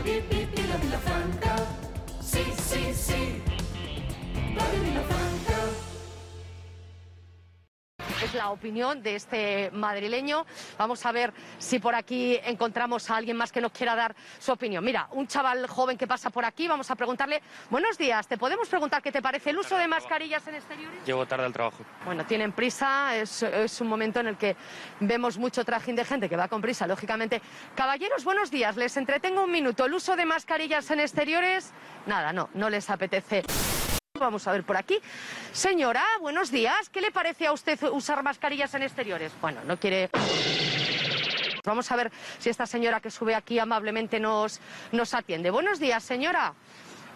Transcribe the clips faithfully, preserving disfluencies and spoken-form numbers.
vi, vi, vi, la Vilafranca. Sí, sí, sí. Radio Vilafranca. Es la opinión de este madrileño. Vamos a ver si por aquí encontramos a alguien más que nos quiera dar su opinión. Mira, un chaval joven que pasa por aquí, vamos a preguntarle. Buenos días, ¿te podemos preguntar qué te parece el uso de mascarillas en exteriores? Llego tarde al trabajo. Bueno, tienen prisa, es, es un momento en el que vemos mucho trajín de gente que va con prisa, lógicamente. Caballeros, buenos días, les entretengo un minuto. ¿El uso de mascarillas en exteriores? Nada, no, no les apetece. Vamos a ver por aquí. Señora, buenos días. ¿Qué le parece a usted usar mascarillas en exteriores? Bueno, no quiere... Vamos a ver si esta señora que sube aquí amablemente nos, nos atiende. Buenos días, señora.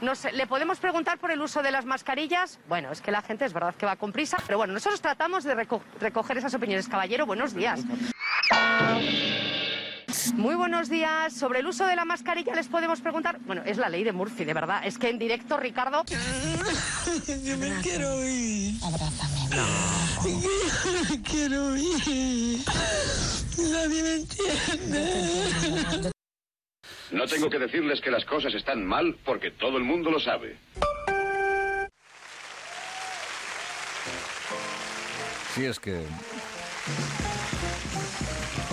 Nos, ¿Le podemos preguntar por el uso de las mascarillas? Bueno, es que la gente es verdad que va con prisa, pero bueno, nosotros tratamos de reco recoger esas opiniones. Caballero, buenos días. Muy buenos días. Sobre el uso de la mascarilla les podemos preguntar. Bueno, es la ley de Murphy, de verdad. Es que en directo, Ricardo... Yo me quiero ir. Abrázame. No. Yo me quiero ir. Nadie me entiende. No tengo que decirles que las cosas están mal porque todo el mundo lo sabe. Sí, és que...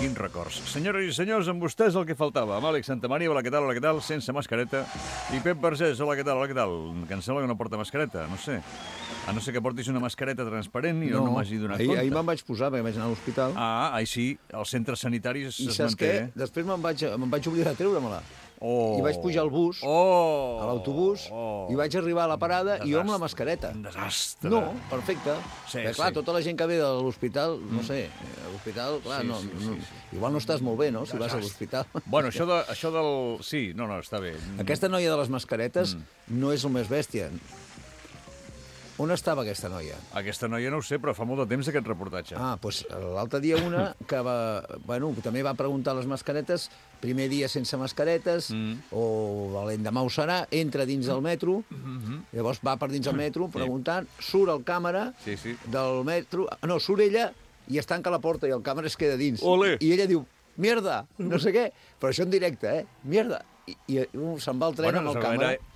Quins records. Senyores i senyors, amb vostès el que faltava. Amb Àlex Santamaria, hola, què tal, hola, què tal, sense mascareta. I Pep Vergés, hola, què tal, hola, què tal. Que em sembla que no porta mascareta, no sé. A no ser que portis una mascareta transparent i no, no m'hagi donat ahir, compte. Ahir me'n vaig posar, perquè vaig anar a l'hospital. Ah, ahí sí, als centres sanitaris I es saps manté. què? Després me'n vaig, me'n vaig oblidar de treure-me-la. Oh. I vaig pujar al bus, oh. a l'autobús, oh. i vaig arribar a la parada desastre. i jo amb la mascareta. Un desastre. No, perfecte. Sí, perquè, clar, sí. tota la gent que ve de l'hospital, no sé, a l'hospital, clar, Sí, no, sí, no, sí, sí. igual no estàs molt bé, no?, si vas a l'hospital. Bueno, això, de, això del... Sí, no, no, està bé. Aquesta noia de les mascaretes Mm. no és el més bèstia. On estava aquesta noia? Aquesta noia no ho sé, però fa molt de temps aquest reportatge. Ah, doncs l'altre dia una que va, bueno, també va preguntar les mascaretes, primer dia sense mascaretes, mm. o l'endemà ho serà, entra dins del metro, mm-hmm. llavors va per dins del metro preguntant, surt el càmera sí, sí. del metro, no, surt ella i es tanca la porta i el càmera es queda dins. Olé. I ella diu, mierda, no sé què, però això en directe, eh, mierda. I, i uh, se'n va el tren bueno, amb el es càmera. Veure,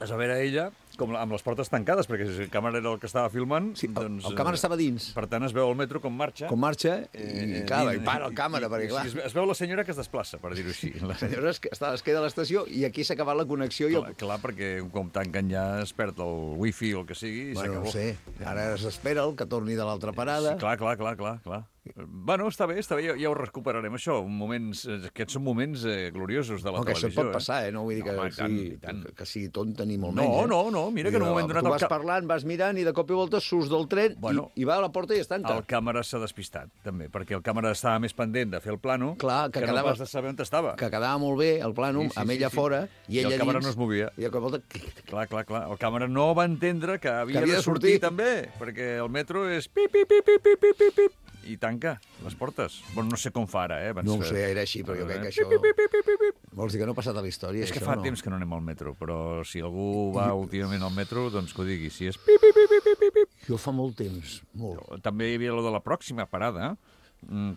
es va veure ella com amb les portes tancades, perquè si el càmera era el que estava filmant... Sí, el, doncs, el càmera estava dins. Per tant, es veu el metro com marxa. Com marxa, i, eh, clar, i, i para el càmera, i, perquè, i, clar... Es, es veu la senyora que es desplaça, per dir-ho així. La senyora es, està, es queda a l'estació i aquí s'ha acabat la connexió. I el... Clar, clar, perquè com tanquen ja es perd el wifi o el que sigui i bueno, s'acabó. no sé, ara s'espera el que torni de l'altra parada. Sí, clar, clar, clar, clar, clar. Bueno, està bé, està bé, ja, ja ho recuperarem, això. Moments, aquests són moments eh, gloriosos de la no, televisió. Que això pot passar, eh? No vull dir que, no, home, sigui, tant, tant. que sigui tonta ni molt no, menys. No, no, no, mira que en un moment donat... Tu vas el cap... parlant, vas mirant i de cop i volta surts del tren bueno, i, i va a la porta i es tanca. El càmera s'ha despistat, també, perquè el càmera estava més pendent de fer el plano clar, que, que quedava, no pas de saber on estava. Que quedava molt bé el plano, sí, sí, amb ella sí, sí. fora, i, I ella el càmera dins, no es movia. I de cop i volta... Clar, clar, clar. El càmera no va entendre que havia, que havia de sortir, sortir també, perquè el metro és pip, pip, pip, pip, pip, pip, pip, pip, i tanca les portes. Bueno, no sé com fa ara, eh? No ho sé, era així, però jo crec que això... Pip, pip, pip, pip, pip. Vols dir que no ha passat a la història? És que això, fa no? temps que no anem al metro, però si algú va últimament al metro, doncs que ho digui. Si és pip, pip, pip, pip, pip, pip. Jo fa molt temps, molt. També hi havia lo de la pròxima parada,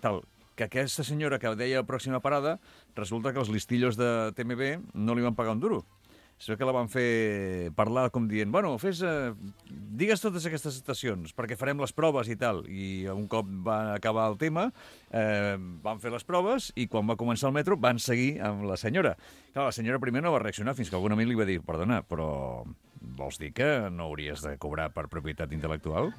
tal, que aquesta senyora que deia la pròxima parada, resulta que els listillos de T M B no li van pagar un duro. Es veu que la van fer parlar com dient, bueno, fes, eh, digues totes aquestes estacions, perquè farem les proves i tal. I un cop va acabar el tema, eh, van fer les proves i quan va començar el metro van seguir amb la senyora. Clar, la senyora primer no va reaccionar fins que algun amic li va dir, perdona, però vols dir que no hauries de cobrar per propietat intel·lectual?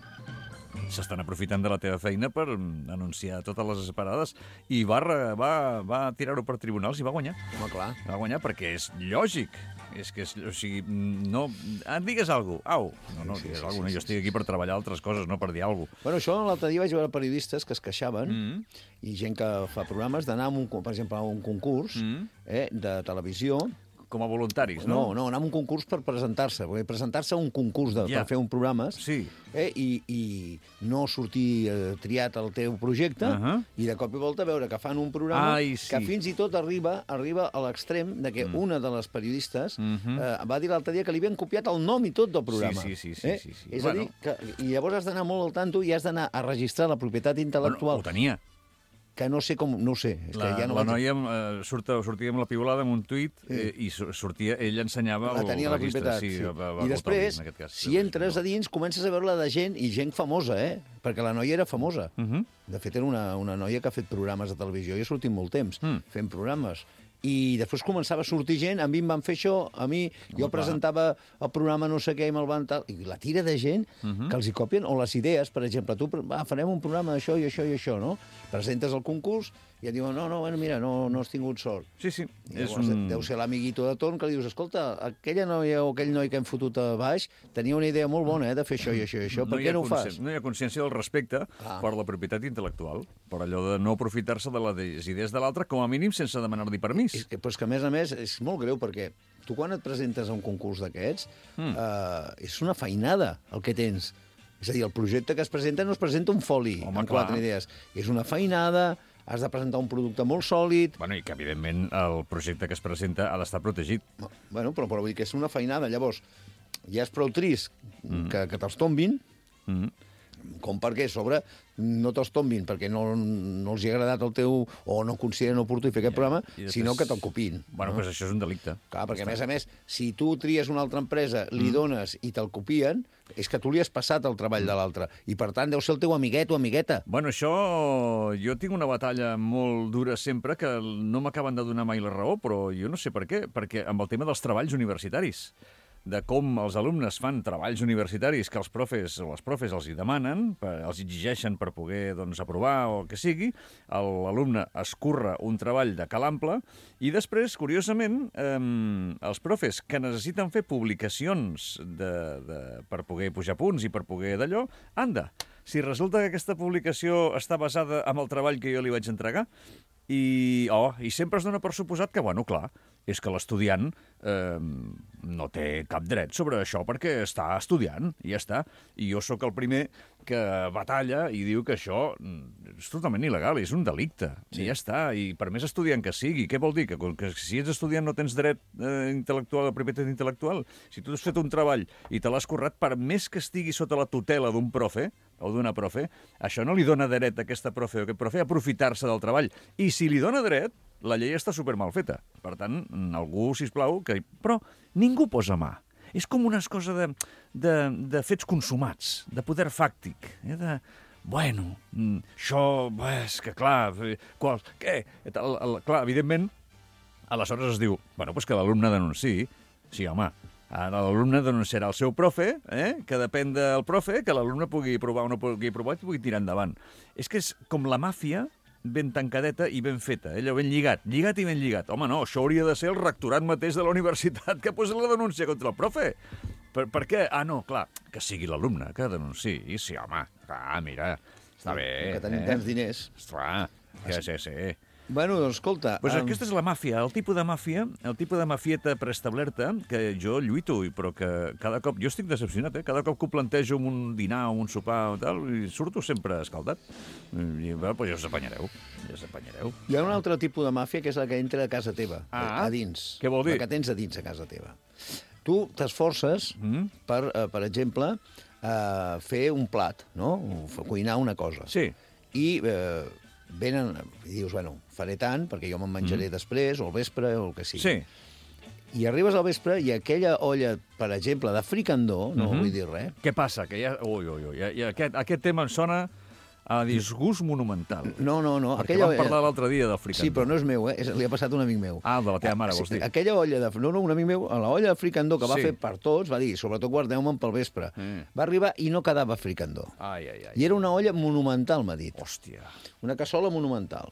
S'estan aprofitant de la teva feina per anunciar totes les parades i va, va, va tirar-ho per tribunals i va guanyar. Home, clar. Va guanyar perquè és lògic. És que, és, o sigui, no... Ah, digues alguna cosa. Au. No, no, sí, digues sí, alguna cosa. sí, Jo estic aquí per treballar altres coses, no per dir alguna cosa. Bueno, això l'altre dia vaig veure periodistes que es queixaven Mm. i gent que fa programes d'anar, a un, per exemple, a un concurs Mm. eh, de televisió. Com a voluntaris, No, no? no, anar a un concurs per presentar-se, perquè presentar-se a un concurs de, Ja. per fer un programa Sí. eh, i, i no sortir eh, triat al teu projecte Uh -huh. i de cop i volta veure que fan un programa Ai, sí. que fins i tot arriba arriba a l'extrem de que mm. una de les periodistes Uh -huh. eh, va dir l'altre dia que li havien copiat el nom i tot del programa. Sí, sí, sí, sí, eh? sí, sí. És Bueno. a dir, que, i llavors has d'anar molt al tanto i has d'anar a registrar la propietat intel·lectual. Bueno, ho tenia. que no sé com... No ho sé. És La, que ja no la vaig... noia eh, surt, sortia amb la piulada amb un tuit eh, i su- sortia, ell ensenyava La el tenia la registre. propietat, Sí, sí. va- va I votar després, en aquest cas. si entres a dins, comences a veure-la de gent, i gent famosa, eh? Perquè la noia era famosa. Uh -huh. De fet, era una, una noia que ha fet programes de televisió i ha sortit molt temps Mm. fent programes. I després començava a sortir gent, a mi em van fer això, a mi, jo clar. presentava el programa no sé què i me'l van tal... I la tira de gent Mhm. que els hi copien, o les idees, per exemple, tu, va, farem un programa d'això i això i això, no? Presentes el concurs i et diuen, no, no, bueno, mira, no, no has tingut sort. Sí, sí. I És llavors un... deu ser l'amiguito de torn que li dius, escolta, aquella noia o aquell noi que hem fotut a baix tenia una idea molt bona, eh, de fer això i això i això, per hi què ha no ho consci- fas? No hi ha consciència del respecte Ah. per la propietat intel·lectual, per allò de no aprofitar-se de les idees de l'altre, com a mínim sense demanar-li permís. És que, però és que, a més a més, és molt greu, perquè tu quan et presentes a un concurs d'aquests, Mm. eh, és una feinada el que tens. És a dir, el projecte que es presenta no es presenta un foli Home, amb clar. quatre idees. És una feinada, has de presentar un producte molt sòlid... Bueno, i que, evidentment, el projecte que es presenta ha d'estar protegit. Bueno, però, però vull dir que és una feinada. Llavors, ja és prou trist mm. que, que te'ls tombin, Mm. com perquè a sobre no te'ls tombin perquè no, no els hi ha agradat el teu o no consideren oportú fer aquest programa, I després- sinó que te'l copin. Bueno, doncs això és un delicte. Clar, perquè a més a més, si tu tries una altra empresa, li Mm. dones i te'l copien, és que tu li has passat el treball de l'altre. I per tant deu ser el teu amiguet o amigueta. Bueno, això... Jo tinc una batalla molt dura sempre que no m'acaben de donar mai la raó, però jo no sé per què. Perquè amb el tema dels treballs universitaris, de com els alumnes fan treballs universitaris que els profes o les profes els hi demanen, per, els exigeixen per poder doncs, aprovar o el que sigui, el- l'alumne escurra un treball de cal ample i després, curiosament, eh, els profes que necessiten fer publicacions de, de, per poder pujar punts i per poder d'allò, anda, si resulta que aquesta publicació està basada en el treball que jo li vaig entregar, i, oh, i sempre es dona per suposat que, bueno, clar, és que l'estudiant eh, no té cap dret sobre això perquè està estudiant, i ja està. I jo sóc el primer que batalla i diu que això mm, és totalment il·legal, és un delicte, sí. I ja està. I per més estudiant que sigui, què vol dir? Que, que si ets estudiant no tens dret eh, intel·lectual, a propietat intel·lectual? Si tu has fet un treball i te l'has currat, per més que estigui sota la tutela d'un profe o d'una profe, això no li dona dret a aquesta profe o aquest profe a aprofitar-se del treball. I si li dona dret, la llei està super mal feta. Per tant, algú, sisplau, que... Però ningú posa mà. És com una cosa de, de, de fets consumats, de poder fàctic, eh? de... Bueno, mm, això, bé, és que clar, eh, qual, què? El, el, clar, evidentment, aleshores es diu, bueno, doncs que l'alumne denunciï. Sí, home, ara l'alumne denunciarà el seu profe, eh? Que depèn del profe, que l'alumne pugui provar o no pugui provar i pugui tirar endavant. És que és com la màfia ben tancadeta i ben feta, allò ben lligat, lligat i ben lligat. Home, no, això hauria de ser el rectorat mateix de la universitat que posi la denúncia contra el profe. Per, per què? Ah, no, clar, que sigui l'alumne que denunciï. Sí, home, clar, mira, està bé. Que tenim eh? tants diners. Esclar, que sí, sí. Bueno, doncs escolta... Pues em, aquesta és la màfia, el tipus de màfia, el tipus de mafieta preestablerta que jo lluito, i però que cada cop... Jo estic decepcionat, eh? Cada cop que ho plantejo en un dinar o un sopar o tal, i surto sempre escaldat. I, bueno, pues ja us apanyareu, ja us apanyareu. Hi ha un altre tipus de màfia que és la que entra a casa teva, Ah, a dins. què vol dir? La que tens a dins a casa teva. Tu t'esforces Mm? per, eh, per exemple, eh, fer un plat, no? O fer- cuinar una cosa. Sí. I eh, venen, i dius, bueno, faré tant, perquè jo me'n menjaré mm. després, o al vespre, o el que sigui. Sí. I arribes al vespre i aquella olla, per exemple, de fricandó, no Mhm. vull dir res, Què passa? Que ja... Ui, ui, ui, ja, ja, aquest, aquest tema em sona a disgust monumental. no, no, no. Perquè aquella vam parlar l'altre dia del fricandó. Sí, però no és meu, eh? És, li ha passat a un amic meu. Ah, el de la teva mare, Ah, vols dir? Aquella olla de... No, no, un amic meu, a la olla de fricandó que va Sí. fer per tots, va dir, sobretot guardeu-me'n pel vespre. Mm. Va arribar i no quedava fricandó. Ai, ai, ai. I era una olla monumental, m'ha dit. Hòstia. Una cassola monumental.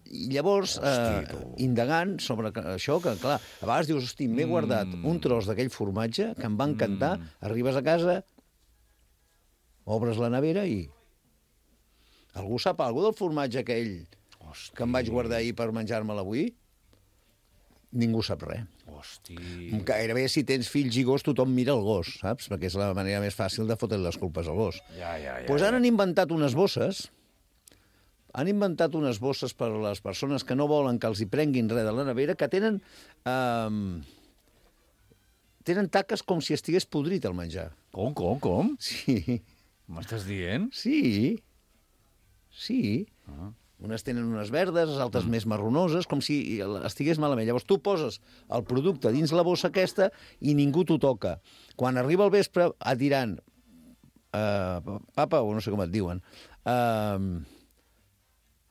I llavors, Hosti, eh, tu. indagant sobre que- això, que clar, a vegades dius, hosti, m'he guardat Mm. un tros d'aquell formatge que em va encantar, arribes a casa, obres la nevera i... Algú sap alguna del formatge aquell Hosti. que em vaig guardar ahir per menjar-me'l avui? Ningú sap res. Hosti. Gairebé si tens fills i gos, tothom mira el gos, saps? Perquè és la manera més fàcil de fotre les culpes al gos. Ja, ja, ja. Doncs ja. ara han inventat unes bosses, han inventat unes bosses per a les persones que no volen que els hi prenguin res de la nevera, que tenen... Um, tenen taques com si estigués podrit el menjar. Com, com, com? Sí, M'estàs dient? sí, sí. Ah. Unes tenen unes verdes, les altres mm. més marronoses, com si estigués malament. Llavors tu poses el producte dins la bossa aquesta i ningú t'ho toca. Quan arriba el vespre et diran, uh, papa, o no sé com et diuen, uh,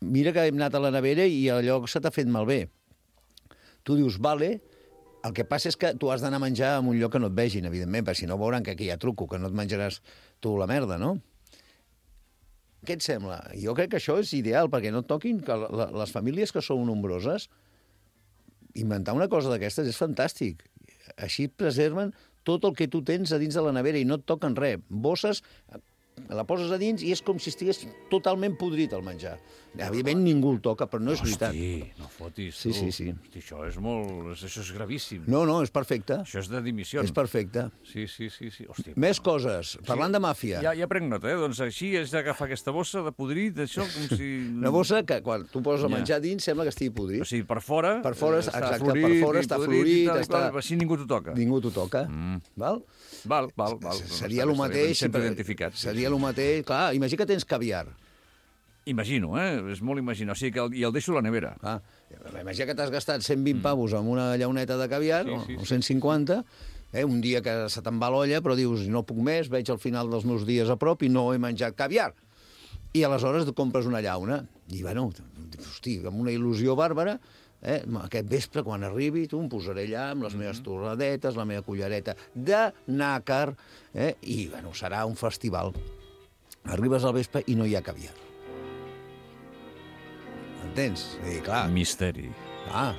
mira que hem anat a la nevera i allò se t'ha fet malbé. Tu dius, vale, el que passa és que tu has d'anar a menjar en un lloc que no et vegin, evidentment, perquè si no veuran que aquí hi ha truco, que no et menjaràs tu la merda, no? Què et sembla? Jo crec que això és ideal, perquè no et toquin, que la, les famílies que són nombroses, inventar una cosa d'aquestes és fantàstic. Així preserven tot el que tu tens a dins de la nevera i no et toquen res. Bosses, la poses a dins i és com si estigués totalment podrit el menjar. Evidentment ningú el toca, però no és veritat. Hosti, no fotis, sí, tu. Sí, sí. Hosti, això és molt... Això és gravíssim. No, no, és perfecte. Això és de dimissió. És perfecte. Sí, sí, sí. sí. Hosti, Més coses. Parlant sí. de màfia. Ja, ja prenc nota, eh? Doncs així és d'agafar aquesta bossa de podrit, això com si... Una bossa que quan tu poses a menjar dins sembla que estigui podrit. O sigui, per fora... Per fora, està exacte, florit, per fora està florit, tal, està... Tal, així ningú t'ho toca. Ningú t'ho toca. Mm. Val? Val, val, val. Seria el mateix... Identificat. Seria el mateix... Clar, imagina que tens caviar. Imagino, eh? És molt imaginar. O sigui, que el, i el deixo a la nevera. Ah, imagina que t'has gastat cent vint mm. pavos amb una llauneta de caviar, sí, sí, o cent cinquanta, eh? Un dia que se te'n va l'olla, però dius, no puc més, veig al final dels meus dies a prop i no he menjat caviar. I aleshores et compres una llauna. I, bueno, hosti, amb una il·lusió bàrbara, eh? Aquest vespre, quan arribi, tu em posaré allà amb les meves torradetes, la meva cullereta de nàcar, eh? I, bueno, serà un festival. Arribes al vespre i no hi ha caviar. Entens? I, clar, misteri. Ah,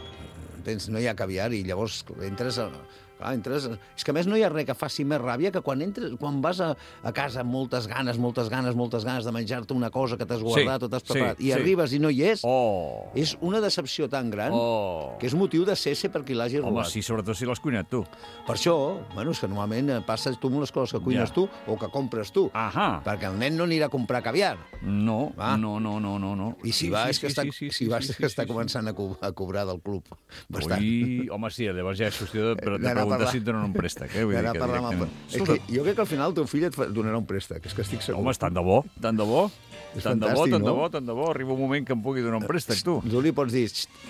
entens? No hi ha caviar i llavors entres... A... Clar, entres... És que a més no hi ha res que faci més ràbia que quan entres, quan vas a, a casa amb moltes ganes, moltes ganes, moltes ganes de menjar-te una cosa que t'has guardat sí, o t'has preparat, sí, i sí. arribes i no hi és, oh. és una decepció tan gran oh. que és motiu de cesse per qui l'hagi robat. Home, sí, sobretot si l'has cuinat tu. Per això, bueno, és que normalment passes tu amb les coses que cuines ja. tu o que compres tu, Ahà. perquè el nen no anirà a comprar caviar. No, va? no, no, no, no, no. I si sí, va, sí, és que sí, està, sí, sí, si va, sí, és sí, que està sí, començant a, co a cobrar del club bastant. Ui, home, sí, llavors ja és qüestió de, de preguntar si et donen un préstec, eh? Vull dir que amb... És que jo crec que al final el teu fill et donarà un préstec, és que estic segur. Home, és tant de bo, tant de bo. És tant de bo, tant no? de bo, tant de bo. Arriba un moment que em pugui donar un préstec, tu. Tu li pots dir,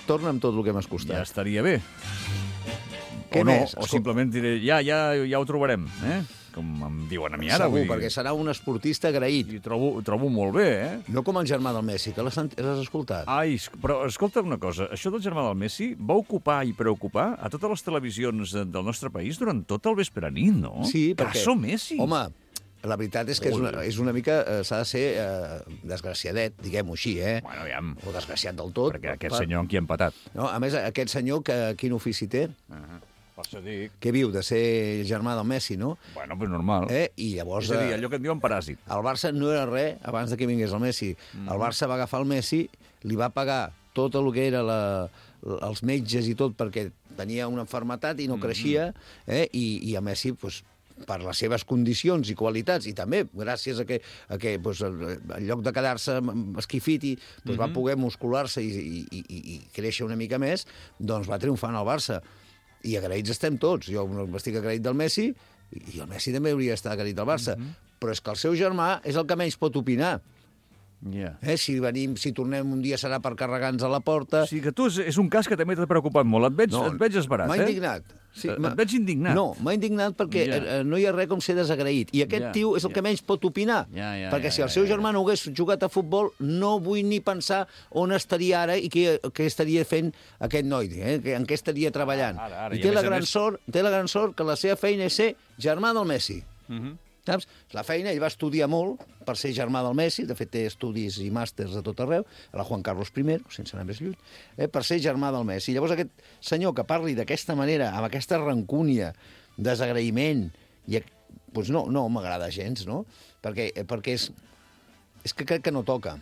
torna'm tot el que m'has costat. Ja estaria bé. Què o no, més? o simplement diré, ja, ja, ja ho trobarem, eh? Com em diuen a mi ara. Segur, vull dir... perquè serà un esportista agraït. I trobo, trobo molt bé, eh? No com el germà del Messi, que l'has escoltat. Ai, però escolta una cosa, això del germà del Messi va ocupar i preocupar a totes les televisions del nostre país durant tot el vespre nit, no? Sí, perquè... Caso Messi. Home, la veritat és que és una, és una mica... Eh, s'ha de ser eh, desgraciadet, diguem-ho així, eh? Bueno, aviam. O desgraciat del tot. Perquè aquest per... senyor amb qui ha empatat. No, a més, aquest senyor, que, quin ofici té? Uh -huh. Per això dic. Què viu? De ser germà del Messi, no? Bueno, pues normal. Eh? I llavors... És a dir, allò que en diuen paràsit. El Barça no era res abans de que vingués el Messi. Mm. El Barça va agafar el Messi, li va pagar tot el que era la, els metges i tot perquè tenia una malaltia i no creixia, eh? I, i a Messi, pues, per les seves condicions i qualitats, i també gràcies a que, a que pues, en lloc de quedar-se esquifit, pues, mm-hmm. va poder muscular-se i, i, i, i créixer una mica més, doncs va triomfar en el Barça. I agraïts estem tots. Jo estic agraït del Messi i el Messi també hauria d'estar agraït del Barça. Mm-hmm. Però és que el seu germà és el que menys pot opinar. Yeah. Eh? Si venim, si tornem un dia serà per carregar-nos a la porta... O sigui que tu és, és un cas que també t'ha preocupat molt. Et veig, no, et veig esbarat, m'ha eh? indignat. Sí, et veig indignat. No, m'ha indignat perquè yeah. no hi ha res com ser desagraït. I aquest yeah, tio és el yeah. que menys pot opinar. Yeah, yeah, perquè yeah, si el seu yeah, germà no hagués jugat a futbol, no vull ni pensar on estaria ara i què, què estaria fent aquest noi, eh? en què estaria treballant. Ara, ara, I té I la, gran més... sort, té la gran sort que la seva feina és ser germà del Messi. Mhm. Uh -huh. Saps? La feina, ell va estudiar molt per ser germà del Messi, de fet té estudis i màsters a tot arreu, a la Juan Carlos I, sense anar més lluny, eh, per ser germà del Messi. Llavors aquest senyor que parli d'aquesta manera, amb aquesta rancúnia, desagraïment, i, doncs no, no m'agrada gens, no? Perquè, perquè és, és que crec que no toca.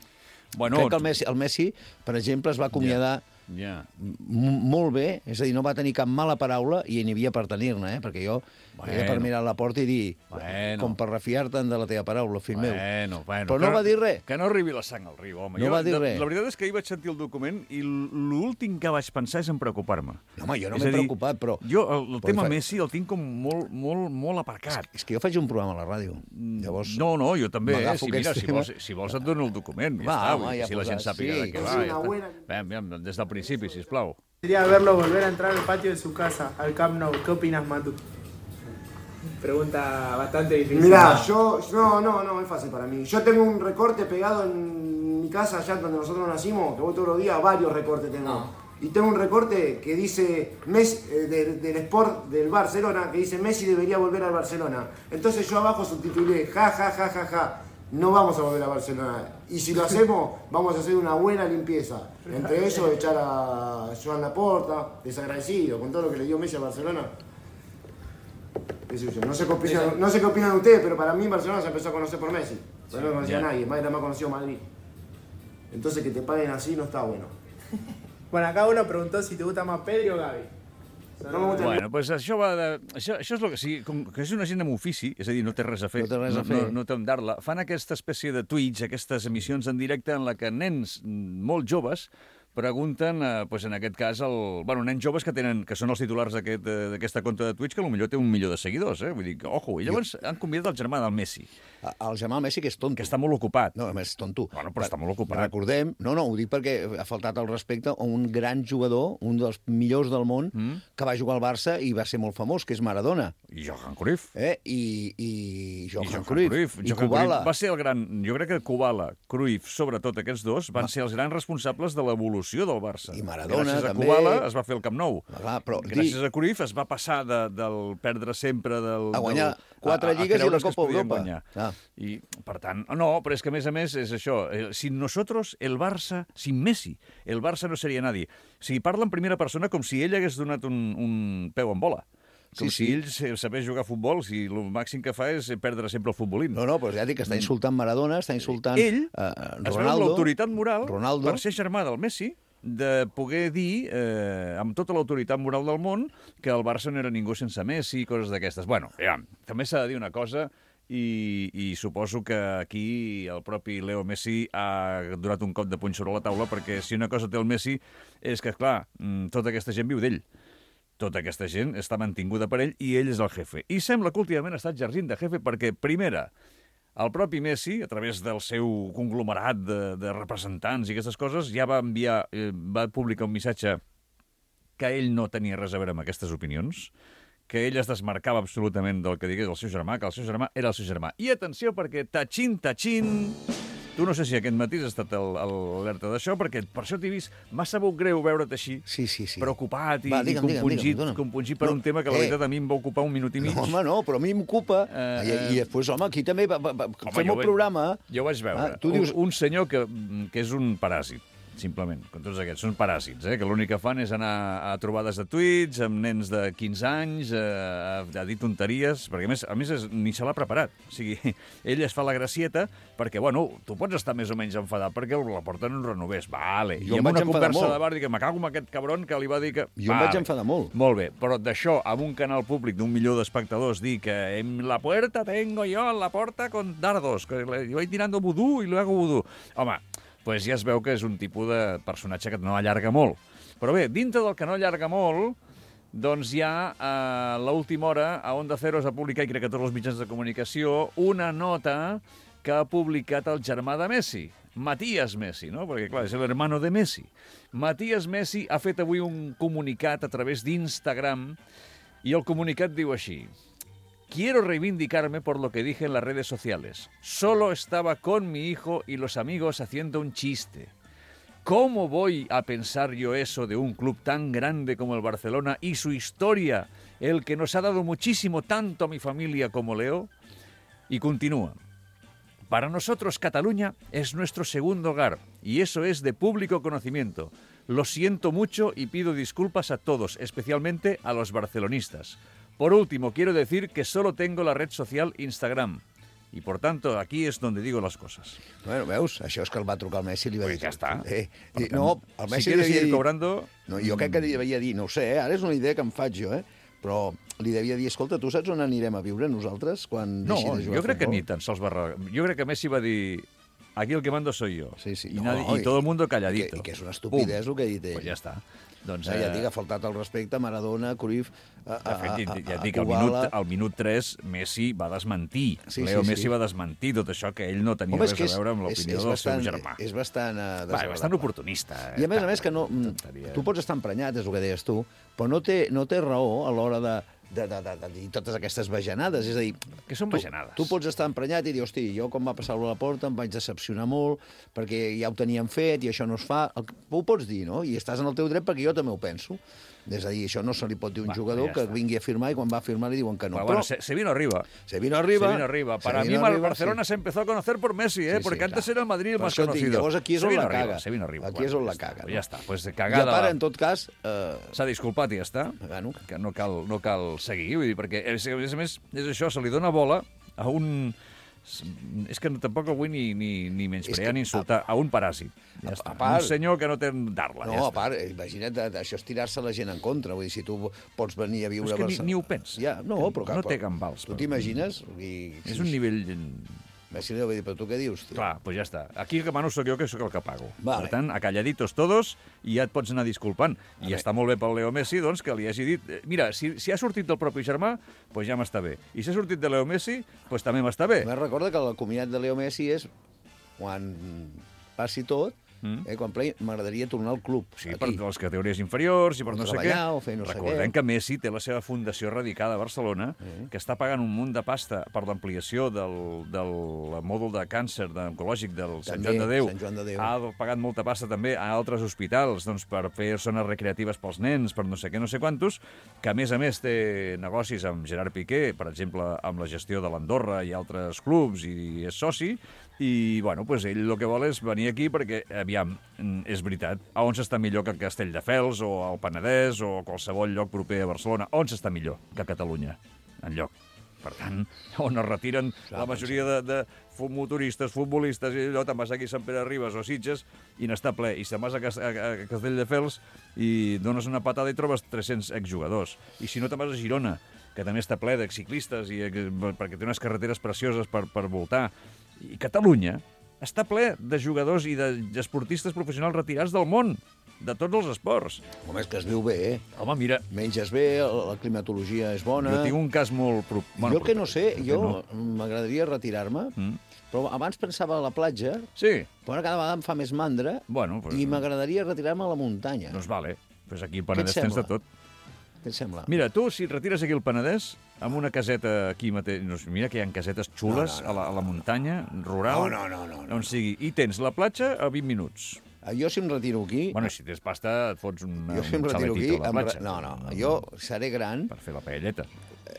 Bueno, crec que el Messi, el Messi, per exemple, es va acomiadar... Yeah. Ja. M molt bé, és a dir, no va tenir cap mala paraula i n'hi havia per tenir-ne, eh? Perquè jo Bueno. era per mirar la porta i dir, Bueno. com per refiar-te'n de la teva paraula, fill meu. Bueno, bueno. Però no que, va dir res. Que no arribi la sang al riu, home. No jo, va dir de, res. La veritat és que ahir vaig sentir el document i l'últim que vaig pensar és en preocupar-me. No, home, jo no És m'he a dir, preocupat, però... Jo el, el Però tema fa- Messi el tinc com molt, molt, molt aparcat. És que jo faig un programa a la ràdio. Llavors, No, no, jo també, eh? m'agafo Si, mira, aquests si vols, temes. si vols et dono el document. Ja Va, està, home, vull dir, ja si la gent posat, sàpiga sí. de què És va. una Ja està. buena- Ven, ven, des del principi, sisplau. Sería verlo volver a entrar al patio de su casa, al Camp Nou. ¿Qué opinas, Matu? Pregunta bastante difícil. Mirá, yo, no, no, no, es fácil para mí. Yo tengo un recorte pegado en mi casa, allá donde nosotros nacimos, que voy todos los días, varios recortes tengo. Y tengo un recorte que dice, Messi, eh, de- del Sport del Barcelona, que dice Messi debería volver al Barcelona. Entonces yo abajo subtitulé, ja, ja, ja, ja, ja, no vamos a volver a Barcelona. Y si lo hacemos, vamos a hacer una buena limpieza. Entre ellos, echar a Joan Laporta, desagradecido, con todo lo que le dio Messi a Barcelona. Qué sé yo, No sé qué opinan, no sé qué opinan ustedes, pero para mí Barcelona se empezó a conocer por Messi. Pero no conocía ya. a nadie, más era más conocido Madrid. Entonces que te paguen así no está bueno. Bueno, acá uno preguntó si te gusta más Pedri o Gavi. No me gusta Bueno, doncs això va de... Això, això és el que... Sí, com que és una gent amb ofici, és a dir, no té res a fer. No té res a no, fer. No, no té on dar-la. Fan aquesta espècie de Twitch, aquestes emissions en directe en la que nens mm, molt joves pregunten, eh, pues en aquest cas, el, bueno, nens joves que tenen que són els titulars d'aquest, eh, d'aquesta compte de Twitch, que potser té un milió de seguidors, eh? Vull dir, que, ojo, i llavors han convidat el germà del Messi, el Jamal Messi, que és tonto. que està molt ocupat. No, a més, és tonto. Bueno, però està molt ocupat. Recordem, no, no, ho dic perquè ha faltat el respecte a un gran jugador, un dels millors del món, mm. que va jugar al Barça i va ser molt famós, que és Maradona. I Johan Cruyff. Eh? I, i Johan, I Johan Cruyff. Cruyff. I Johan Kubala. Cruyff va ser el gran... Jo crec que Kubala, Cruyff, sobretot aquests dos, van ser els grans responsables de l'evolució del Barça. I Maradona, Gràcies a també. Kubala es va fer el Camp Nou. Ah, clar, però Gràcies di- a Cruyff es va passar de, del perdre sempre del... A guanyar del, quatre lligues i creure una que es Copa podien Europa. guanyar. Ah. I, per tant, no, però és que a més a més és això. eh, Sin nosotros, el Barça, sin Messi, el Barça no seria nadie. O sigui, parla en primera persona com si ell hagués donat un, un peu en bola. Com Sí, si sí. ell se- sabés jugar a futbol, si el màxim que fa és perdre sempre el futbolín. No, no, però ja dic que està insultant Maradona, està insultant Ell eh, es veu amb Ronaldo. l'autoritat moral Ronaldo. per ser germà del Messi de poder dir, eh, amb tota l'autoritat moral del món, que el Barça no era ningú sense Messi i coses d'aquestes. Bueno, ja, també s'ha de dir una cosa, i, i suposo que aquí el propi Leo Messi ha donat un cop de puny sobre la taula, perquè si una cosa té el Messi és que, clar, mm, tota aquesta gent viu d'ell. Tota aquesta gent està mantinguda per ell i ell és el jefe. I sembla que últimament ha estat exercint de jefe perquè, primera, el propi Messi, a través del seu conglomerat de, de representants i aquestes coses, ja va enviar, eh, va publicar un missatge que ell no tenia res a veure amb aquestes opinions, que ell es desmarcava absolutament del que digués el seu germà, que el seu germà era el seu germà. I atenció, perquè tachín, tachín... Tu no sé si aquest matí has estat el- el- alerta d'això, perquè per això t'he vist, m'ha sabut greu veure't així, Sí, sí, sí. preocupat i, Va, i digue'm, digue'm, compungit, digue'm, dona. compungit per No, un tema que la eh. veritat a mi em va ocupar un minut i mig. No, home, no, però a mi m'ocupa. Eh, I, I després, home, aquí també va, va, va, Home, fem jo el vaig- programa. Jo vaig veure Ah, tu dius- un, un senyor que, que és un paràsit, simplement, com tots aquests. Són paràsits, eh? Que l'únic que fan és anar a trobades de tuits amb nens de quinze anys, eh, a, a dir tonteries, perquè a més, a més és, ni se l'ha preparat. O sigui, ell es fa la gracieta perquè, bueno, tu pots estar més o menys enfadat perquè la porta no renovés. Vale. Jo I em amb vaig una enfadar conversa molt. de bar dic, me cago en aquest cabron que li va dir que... Jo em vaig enfadar molt. Molt bé, però d'això, amb un canal públic d'un milió d'espectadors, dir que en la puerta tengo yo, en la porta con dardos, que le- yo voy tirando vudú i luego vudú. Home, pues ja es veu que és un tipus de personatge que no allarga molt. Però bé, dintre del que no allarga molt, doncs hi ha a l'última hora a Onda Cero es va publicar, i crec que tots els mitjans de comunicació, una nota que ha publicat el germà de Messi, Matías Messi, no? Perquè, clar, és l'hermano de Messi. Matías Messi ha fet avui un comunicat a través d'Instagram i el comunicat diu així: Quiero reivindicarme por lo que dije en las redes sociales. Solo estaba con mi hijo y los amigos haciendo un chiste. ¿Cómo voy a pensar yo eso de un club tan grande como el Barcelona y su historia, el que nos ha dado muchísimo tanto a mi familia como Leo? Y continúa. Para nosotros Cataluña es nuestro segundo hogar y eso es de público conocimiento. Lo siento mucho y pido disculpas a todos, especialmente a los barcelonistas. Por último, quiero decir que solo tengo la red social Instagram. Y por tanto, aquí es donde digo las cosas. Bueno, veus, això és que el va trucar el Messi i li va Pues dir... ja està. Eh, Per i- tant, no, el si Messi quieres li devia seguir dir... cobrando... No, jo crec que li devia dir, no ho sé, eh, ara és una idea que em faig jo, eh? Però li devia dir, escolta, tu saps on anirem a viure nosaltres quan No, deixi de jugar jo crec a que futbol? ni tan sols va... re- Jo crec que Messi va dir... Aquí el que mando soy yo. Sí, sí. Y, No, nadie- y i- todo el mundo I que, calladito. i que és una estupidesa el que ha dit ell. Pues ja està. Doncs, Ja, ja eh, et dic, ha faltat el respecte a Maradona, Cruyff, a, a, De fet, a, ja, a, ja et a dic, al Kubala. minut, al minut tres Messi va desmentir. Sí, Leo sí, Messi sí. va desmentir tot això, que ell no tenia Home, és res que a és, veure amb és, l'opinió és del bastant, seu germà. és bastant uh, Va, desagradable. bastant oportunista. I a més a tal, més que no... mm, tonteria. Tu pots estar emprenyat, és el que deies tu, però no té, no té raó a l'hora de, de, de, de, de dir totes aquestes bajanades. És a dir, Que són tu, bajanades. tu pots estar emprenyat i dir, hosti, jo quan va passar-ho a la porta em vaig decepcionar molt perquè ja ho teníem fet i això no es fa. El, ho pots dir, no? I estàs en el teu dret perquè jo també ho penso. És a dir, això no se li pot dir a un Va, jugador ja que està. vingui a firmar i quan va a firmar li diuen que no. Però, bueno, se, se vino arriba. se vino arriba. Se vino arriba. Para se mí vino el arriba, Barcelona sí. se empezó a conocer por Messi, ¿eh? Sí, Porque sí, antes clar. era el Madrid el Per más això et dic, conocido. llavors aquí és se on vino la arriba, caga. Se vino arriba. Aquí és on la ja caga, està, no? Ja està, pues de I cagada. a part, va. en tot cas... Eh, S'ha disculpat i ja està. bueno, Que no cal, no cal seguir, vull dir, perquè, a més a més, és això, se li dona bola a un... És que tampoc el vull ni, ni, ni menysprear que- ni insultar, a un paràsit. Ja a- està. a part- Un senyor que no té d'arla. no, ja a està. part, eh, imagina't, eh, això és tirar-se la gent en contra. Vull dir, si tu pots venir a viure Però és que a ni- Barcelona... ni ho pensa. Ja, no, Que però... no clar, té però- gambals, Tu però- t'imagines? I, És un nivell... Messi li va dir, però tu què dius, tio? Clar, doncs ja està. Aquí el que mano sóc jo, que sóc el que pago. Vale. Per tant, acalladitos todos, i ja et pots anar disculpant. I veure. està molt bé pel Leo Messi, doncs, que li hagi dit... eh, Mira, si, si ha sortit del propi germà, doncs ja m'està bé. I si ha sortit de Leo Messi, doncs també m'està bé. A més, recorda que el comiat de Leo Messi és quan passi tot, Mm. eh, quan play, m'agradaria tornar al club. Sí, aquí. per les categories inferiors i per O no sé què. treballar, o fer no sé Recordem què. que Messi té la seva fundació radicada a Barcelona, Sí. que està pagant un munt de pasta per l'ampliació del, del mòdul de càncer de, oncològic del Sant També, Joan de Déu. Sant Joan de Déu. Ha pagat molta pasta també a altres hospitals doncs, per fer zones recreatives pels nens, per no sé què, no sé quantos, que a més a més té negocis amb Gerard Piqué, per exemple, amb la gestió de l'Andorra i altres clubs, i és soci, i, bueno, pues ell el que vol és venir aquí perquè, aviam, mm, és veritat, a on s'està millor que a Castelldefels o al Penedès o a qualsevol lloc proper a Barcelona? On s'està millor que a Catalunya? Enlloc. Per tant, on es retiren la majoria de, de fu- motoristes, futbolistes, i allò, te'n vas aquí a Sant Pere Ribes o Sitges i n'està ple. I te'n vas a, Cas- a, a Castelldefels i dones una patada i trobes tres-cents exjugadors. I si no, te'n vas a Girona, que també està ple d'exciclistes, i, eh, perquè té unes carreteres precioses per, per voltar. I Catalunya està ple de jugadors i d'esportistes professionals retirats del món, de tots els esports. Home, és que es viu bé, eh? Home, mira, Menges bé, la climatologia és bona... jo tinc un cas molt... Pro... Jo el que no sé, proper, jo no. m'agradaria retirar-me, Mm. però abans pensava a la platja, Sí, però ara cada vegada em fa més mandra bueno, pues, i m'agradaria retirar-me a la muntanya. doncs vale. Pues aquí al Què et Penedès tens de sembla? tot. Què et sembla? Mira, tu, si et retires aquí al Penedès, amb una caseta aquí mateix... No, mira que hi ha casetes xules No, no, no, a, la, a la muntanya, rural, No, no, no, no, no. on sigui. I tens la platja a vint minuts. Ah, Jo si em retiro aquí... Bueno, i si tens pasta, et fots una, jo si em un retiro aquí... xaletito a la em re- platja. No, no, jo seré gran, Per fer la paelleta.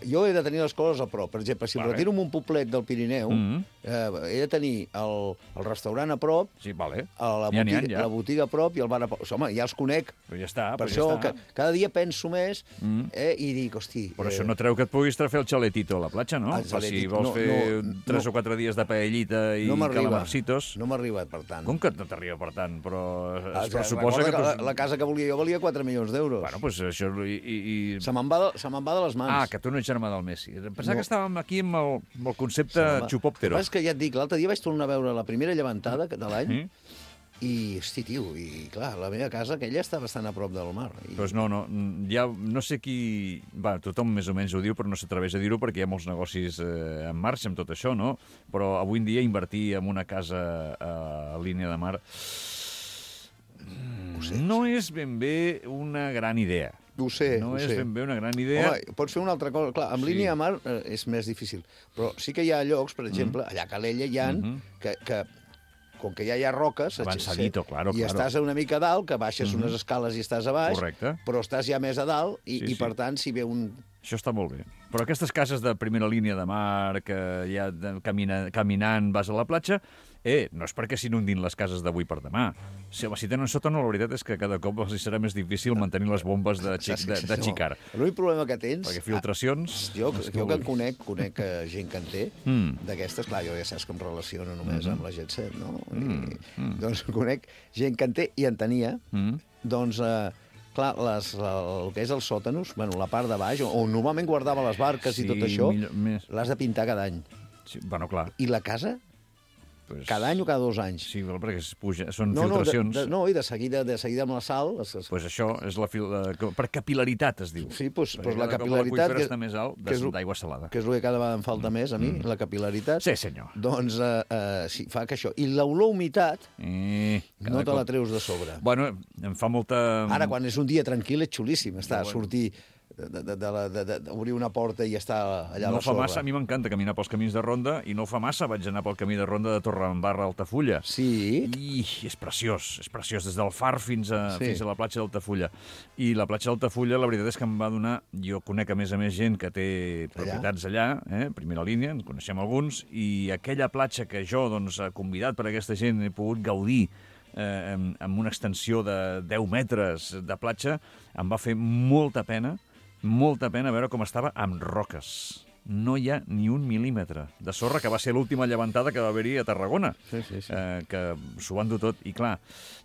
jo he de tenir les coses a prop. Per exemple, si em Vale. retiro en un poblet del Pirineu, Mhm. eh, he de tenir el, el restaurant a prop, Sí, vale. a la, N'hi ha, n'hi ha, botiga, ja. la botiga a prop i el bar a prop. Home, ja els conec. Però ja està, Per però això ja està. que, cada dia penso més Mm. eh, i dic, hosti... Però eh, això no treu que et puguis fer el xaletito a la platja, no? El Per si xaletito, vols no, fer no, tres no. o quatre dies de paellita i no m'arriba. calamarcitos. No m'ha arribat, per tant. Com que no t'arriba per tant? Però Ah, es pressuposa recorda que... que la, tu- la casa que volia jo valia quatre milions d'euros. Bueno, doncs això... I, i, i... Se me'n va, de, se me'n va de les mans. Ah, que tu no ets germà del Messi. Em pensava No. que estàvem aquí amb el, amb el concepte Se me'n va. xupòptero. El que passa és que ja et dic, l'altre dia vaig tornar a veure la primera llevantada de l'any Mm? i, hosti, tio, i clar, la meva casa, aquella està bastant a prop del mar. I... Doncs no, no, ja no sé qui... Va, tothom més o menys ho diu, però no s'atreveix a dir-ho perquè hi ha molts negocis eh, en marxa amb tot això, no? Però avui en dia invertir en una casa a, a línia de mar mm, no és ben bé una gran idea. Ho sé, No ho és sé. ben bé una gran idea. Home, pots fer una altra cosa. Clar, amb Sí. línia de mar eh, és més difícil. Però sí que hi ha llocs, per exemple, allà a Calella hi ha, Mhm. que, que com que ja hi ha roques... Avançadito, claro, I claro. estàs una mica a dalt, que baixes Mhm. unes escales i estàs a baix, Correcte. però estàs ja més a dalt, i, Sí, i sí. per tant, si ve un Això està molt bé. Però aquestes cases de primera línia de mar, que ja de, camina, caminant vas a la platja, eh, no és perquè s'inundin les cases d'avui per demà. Si, home, si tenen sòtano, la veritat és que cada cop els serà més difícil mantenir les bombes de, xic, de, de xicar. L'únic problema que tens... Perquè filtracions... Jo, jo que en conec, conec gent que en té, Mm. d'aquestes, clar, jo ja saps que em relaciono només Mm-hmm. amb la Jet Set, no? I, Mm, mm. Doncs conec gent que en té i en tenia, Mm. doncs... Eh, clar, les, la, el que és els sòtanos, bueno, la part de baix, on normalment guardava les barques Sí, i tot això, millor- més. l'has de pintar cada any. Sí, bueno, clar. I la casa, Pues, cada any o cada dos anys. Sí, però perquè es puja, són no, no, de, filtracions. de, no, i de seguida, de seguida amb la sal... Es, es, Pues això és la fil... la- per capil·laritat, es diu. sí, doncs, Perquè doncs la cada cop capil·laritat... l'aqüífer està més alt que és- d'aigua salada. que és el que cada vegada em falta més, a mi, la capil·laritat. Sí, senyor. Doncs eh, eh, sí, fa que això... I l'olor humitat Eh, cada no te la cop- treus de sobre. Bueno, em fa molta... Ara, quan és un dia tranquil, és xulíssim. Està, sortir, de, de, de, la- de, de, d'obrir una porta i estar allà a No la fa sorra. massa, a mi m'encanta caminar pels camins de ronda, i no fa massa vaig anar pel camí de ronda de Torredembarra a Altafulla. Sí? I és preciós, és preciós, des del far fins a, Sí. fins a la platja d'Altafulla. I la platja d'Altafulla, la veritat és que em va donar... Jo conec, a més a més, gent que té propietats allà, eh, primera línia, en coneixem alguns, i aquella platja que jo, doncs, convidat per aquesta gent, he pogut gaudir eh, amb, amb una extensió de deu metres de platja, em va fer molta pena, molta pena veure com estava amb roques. No hi ha ni un mil·límetre de sorra, que va ser l'última llevantada que va haver-hi a Tarragona, Sí, sí, sí. eh, que s'ho van dur tot. I clar,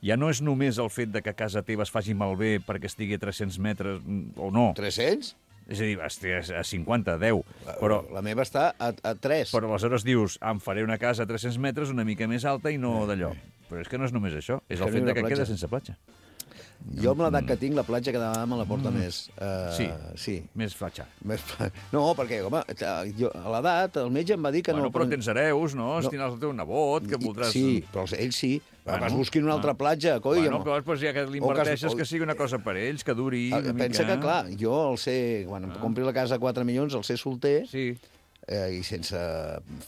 ja no és només el fet de que casa teva es faci malbé perquè estigui a tres-cents metres, mm, o no. tres-cents? És a dir, estigui a cinquanta, deu. Però, La meva està a, a tres. però aleshores dius, em faré una casa a tres-cents metres una mica més alta i no d'allò. Però és que no és només això, és Que el no hi fet ha de que platja. queda sense platja. Jo, amb l'edat que tinc, la platja cada vegada me la porta més. Uh, Sí. Sí. Més platja. Més... No, perquè, home, jo, a l'edat el metge em va dir que Bueno, no... però tens hereus, no? No. Si tindràs el teu nebot, que I- voldràs... Sí, però els- ells sí. Bueno, Vas busquin una altra ah. platja, coi. Bueno, home. clar, doncs ja que O l'inverteixes, o- que sigui una cosa per ells, que duri Ah, una Pensa mica... que, clar, jo el sé... Quan em compri la casa a quatre milions, el sé solter Sí, eh, i sense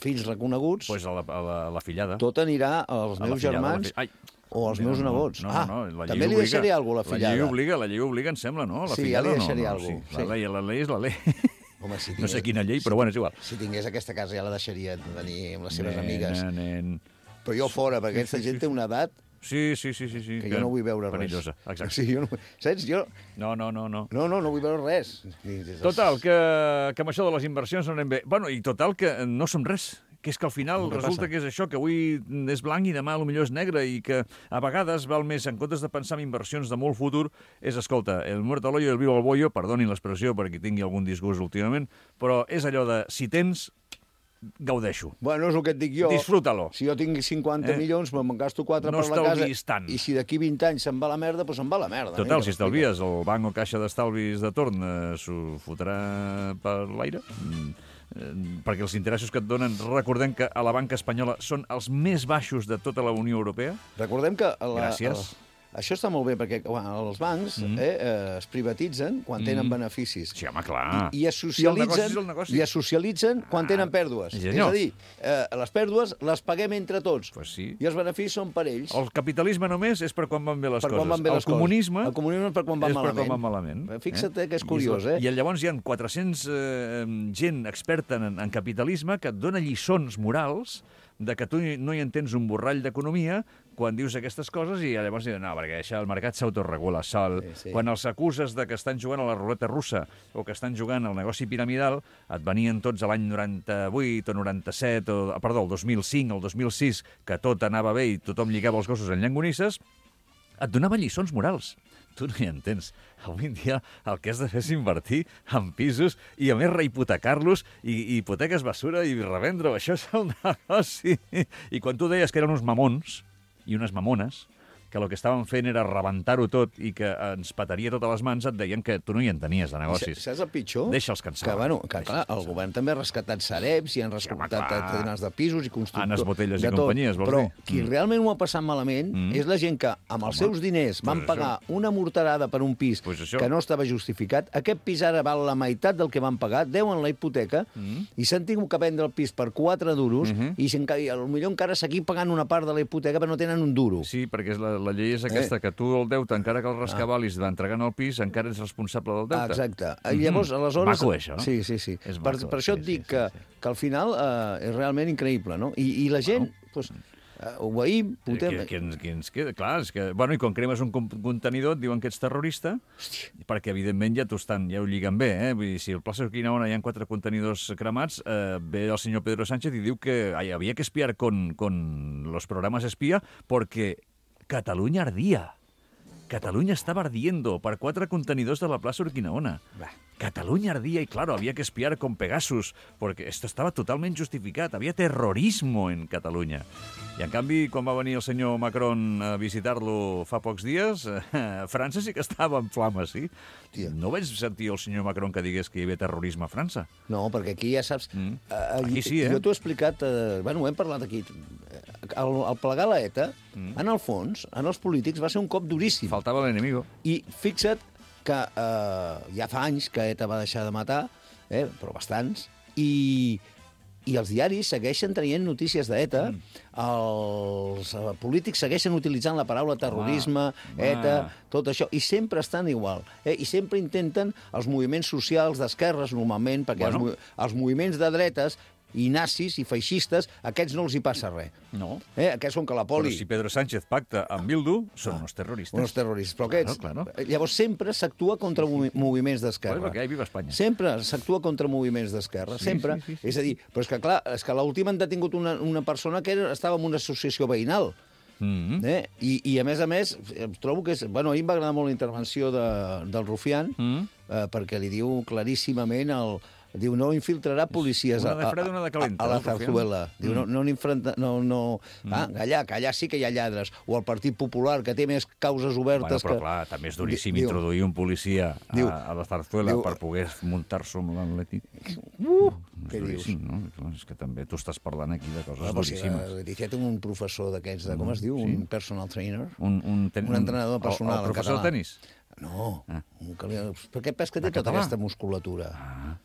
fills reconeguts, doncs pues a la, a la, a la fillada. tot anirà als A la meus fillada, a la germans fi- Ai, o als no, meus no, nebots. No, ah, no, no, la llei també li obliga. deixaré alguna cosa a la La llei fillada. obliga, la llei obliga, em sembla, no? La Sí, ja fillada li no, deixaré no, alguna sí. cosa, La, sí. llei, la llei és la llei. Home, si No sé quina llei, però bueno, és igual. Si tingués aquesta casa ja la deixaria venir amb les seves Nen, amigues. Nen. Però jo fora, perquè aquesta gent té una edat Sí, sí, sí, sí, sí. que jo no vull veure res. Perillosa, exacte. Sí, jo no... Saps? Jo... No, no, no, no. No, no, no vull veure res. Total, que, que amb això de les inversions no anem bé. Bueno, i total, que no som res. Que és que al final Què resulta passa? que és això, que avui és blanc i demà potser és negre i que a vegades val més, en comptes de pensar en inversions de molt futur, és, escolta, el muerto al hoyo i el vivo al bollo, perdonin l'expressió per qui tingui algun disgust últimament, però és allò de, si tens, gaudeixo. Bueno, és el que et dic jo. Disfrútalo. Si jo tinc cinquanta Eh? milions, me'n gasto quatre No per la casa. estalviïs tant. I si d'aquí vint anys se'n va la merda, doncs se'n va la merda. Total, Mira, si estalvies, el banc o caixa d'estalvis de torn eh, s'ho fotrà per l'aire, mm, eh, perquè els interessos que et donen, recordem que a la banca espanyola són els més baixos de tota la Unió Europea. Recordem que... La, Gràcies. El, això està molt bé, perquè quan els bancs mm. eh, eh, es privatitzen quan tenen Mm. beneficis. Sí, home, clar. I, i es I el negoci socialitzen, és el negoci. i es socialitzen quan Ah, tenen pèrdues. sí, És senyor. a dir, eh, les pèrdues les paguem entre tots. Pues sí. I els beneficis són per ells. El capitalisme només és per quan van bé les per coses. quan van bé el les coses. comunisme El comunisme és per quan van és per malament. quan van malament. Fixa't eh, que és I curiós, eh? I llavors hi ha quatre-cents eh, gent experta en, en capitalisme que et dona lliçons morals de que tu no hi entens un borrall d'economia quan dius aquestes coses i llavors diuen, no, perquè això el mercat s'autoregula sol. Sí, sí. Quan els acuses de que estan jugant a la ruleta russa o que estan jugant al negoci piramidal, et venien tots a l'any noranta-vuit o noranta-set, o, perdó, el dos mil cinc, el dos mil sis, que tot anava bé i tothom lligava els gossos en llangonisses, et donava lliçons morals. Tu no hi entens. Avui en dia el que has de fer és invertir en pisos i, a més, rehipotecar-los i, i hipoteques basura i revendre-ho. Això és el negoci. I quan tu deies que eren uns mamons i unes mamones, que el que estaven fent era rebentar-ho tot i que ens petaria totes les mans, et deien que tu no hi entenies de negocis. Saps el pitjor? Deixa'ls cansar. Que, bueno, que clar, el govern també ha rescatat Sareps i han rescatat clar. cadenes de pisos i constructors. Anes Botelles i de tot. companyies, vols Però dir? qui Mm. realment ho ha passat malament Mm. és la gent que, amb els Home, seus diners, van pues pagar una morterada per un pis Pues això. que no estava justificat. Aquest pis ara val la meitat del que van pagar, deuen la hipoteca, Mm. i s'han tingut que vendre el pis per quatre duros, Mhm. i, si encara, i potser encara seguir pagant una part de la hipoteca, però no tenen un duro. Sí, perquè és la, la llei és aquesta, eh? que tu el deute, encara que el rescabalis ah. entregant el pis, encara ets responsable del deute. Ah, exacte. Mm-hmm. Llavors, aleshores... Maco, això. Sí, sí, sí. És per, maco, per això sí, et dic sí, que, sí, sí. que al final eh, és realment increïble, no? I, i la gent, doncs... Pues, Uh, obeïm, putem... Qui, qui, ens, qui ens queda? Clar, és que... Bueno, i quan cremes un contenidor et diuen que ets terrorista, Hòstia. perquè, evidentment, ja t'ho estan, ja ho lliguen bé, eh? Vull dir, si al Plaça Urquinaona hi ha quatre contenidors cremats, eh, ve el senyor Pedro Sánchez i diu que ay, había que espiar con, con los programas espía porque Cataluña ardía. Cataluña estaba ardiendo per quatre contenidors de la plaça Urquinaona. Bah. Cataluña ardía y, claro, había que espiar con Pegasus, porque esto estaba totalment justificat. Había terrorismo en Catalunya. I, en canvi, quan va venir el senyor Macron a visitar-lo fa pocs dies, eh, França sí que estava en flames, sí? Tia. No vaig sentir el senyor Macron que digués que hi havia terrorisme a França. No, perquè aquí ja saps... Mm. Uh, aquí sí, eh? Jo t'ho he explicat... Uh, bueno, ho hem parlat aquí. El, el plegar la ETA, mm. en el fons, en els polítics, va ser un cop duríssim. Faltava l'enemigo. I fixa't que eh, ja fa anys que ETA va deixar de matar, eh, però bastants, i, i els diaris segueixen traient notícies d'ETA, mm. els eh, polítics segueixen utilitzant la paraula terrorisme, ah, ETA, ah. tot això, i sempre estan igual. Eh, I sempre intenten els moviments socials d'esquerres, normalment, perquè bueno. els, els moviments de dretes i nazis i feixistes, aquests no els hi passa res. No. Eh? Aquests són que la poli... Però si Pedro Sánchez pacta amb Bildu, són ah, uns terroristes. Uns terroristes. Però aquests... Claro, claro. Llavors sempre s'actua contra sí, sí. moviments d'esquerra. Bueno, perquè hi viva Espanya. Sempre s'actua contra moviments d'esquerra. Sí, sempre. Sí, sí, sí. És a dir, però és que clar, és que l'última han detingut una, una persona que era, estava en una associació veïnal. Mm-hmm. eh? I, I, a més a més, trobo que és... Bueno, a mi em va agradar molt la intervenció de, del Rufián, mm-hmm. eh, perquè li diu claríssimament el... Diu, no infiltrarà policies una de fred, una de calenta, a, a, a la Zarzuela. Mm. Diu, no, no n'infrenta... No, no... Mm. Ah, allà, que allà sí que hi ha lladres. O el Partit Popular, que té més causes obertes... Bueno, però que... clar, també és duríssim diu, introduir un policia a, diu, a la Zarzuela diu, per poder muntar-se amb l'Atlètic. Uh, què dius? No? Clar, és que també tu estàs parlant aquí de coses no, duríssimes. Si, Leticia té un professor d'aquests, de, com es diu? Sí. Un personal trainer? Un, un, ten... un entrenador personal el, el professor de tenis? No. Ah. Un... Per què pes que té tota aquesta musculatura? Ah.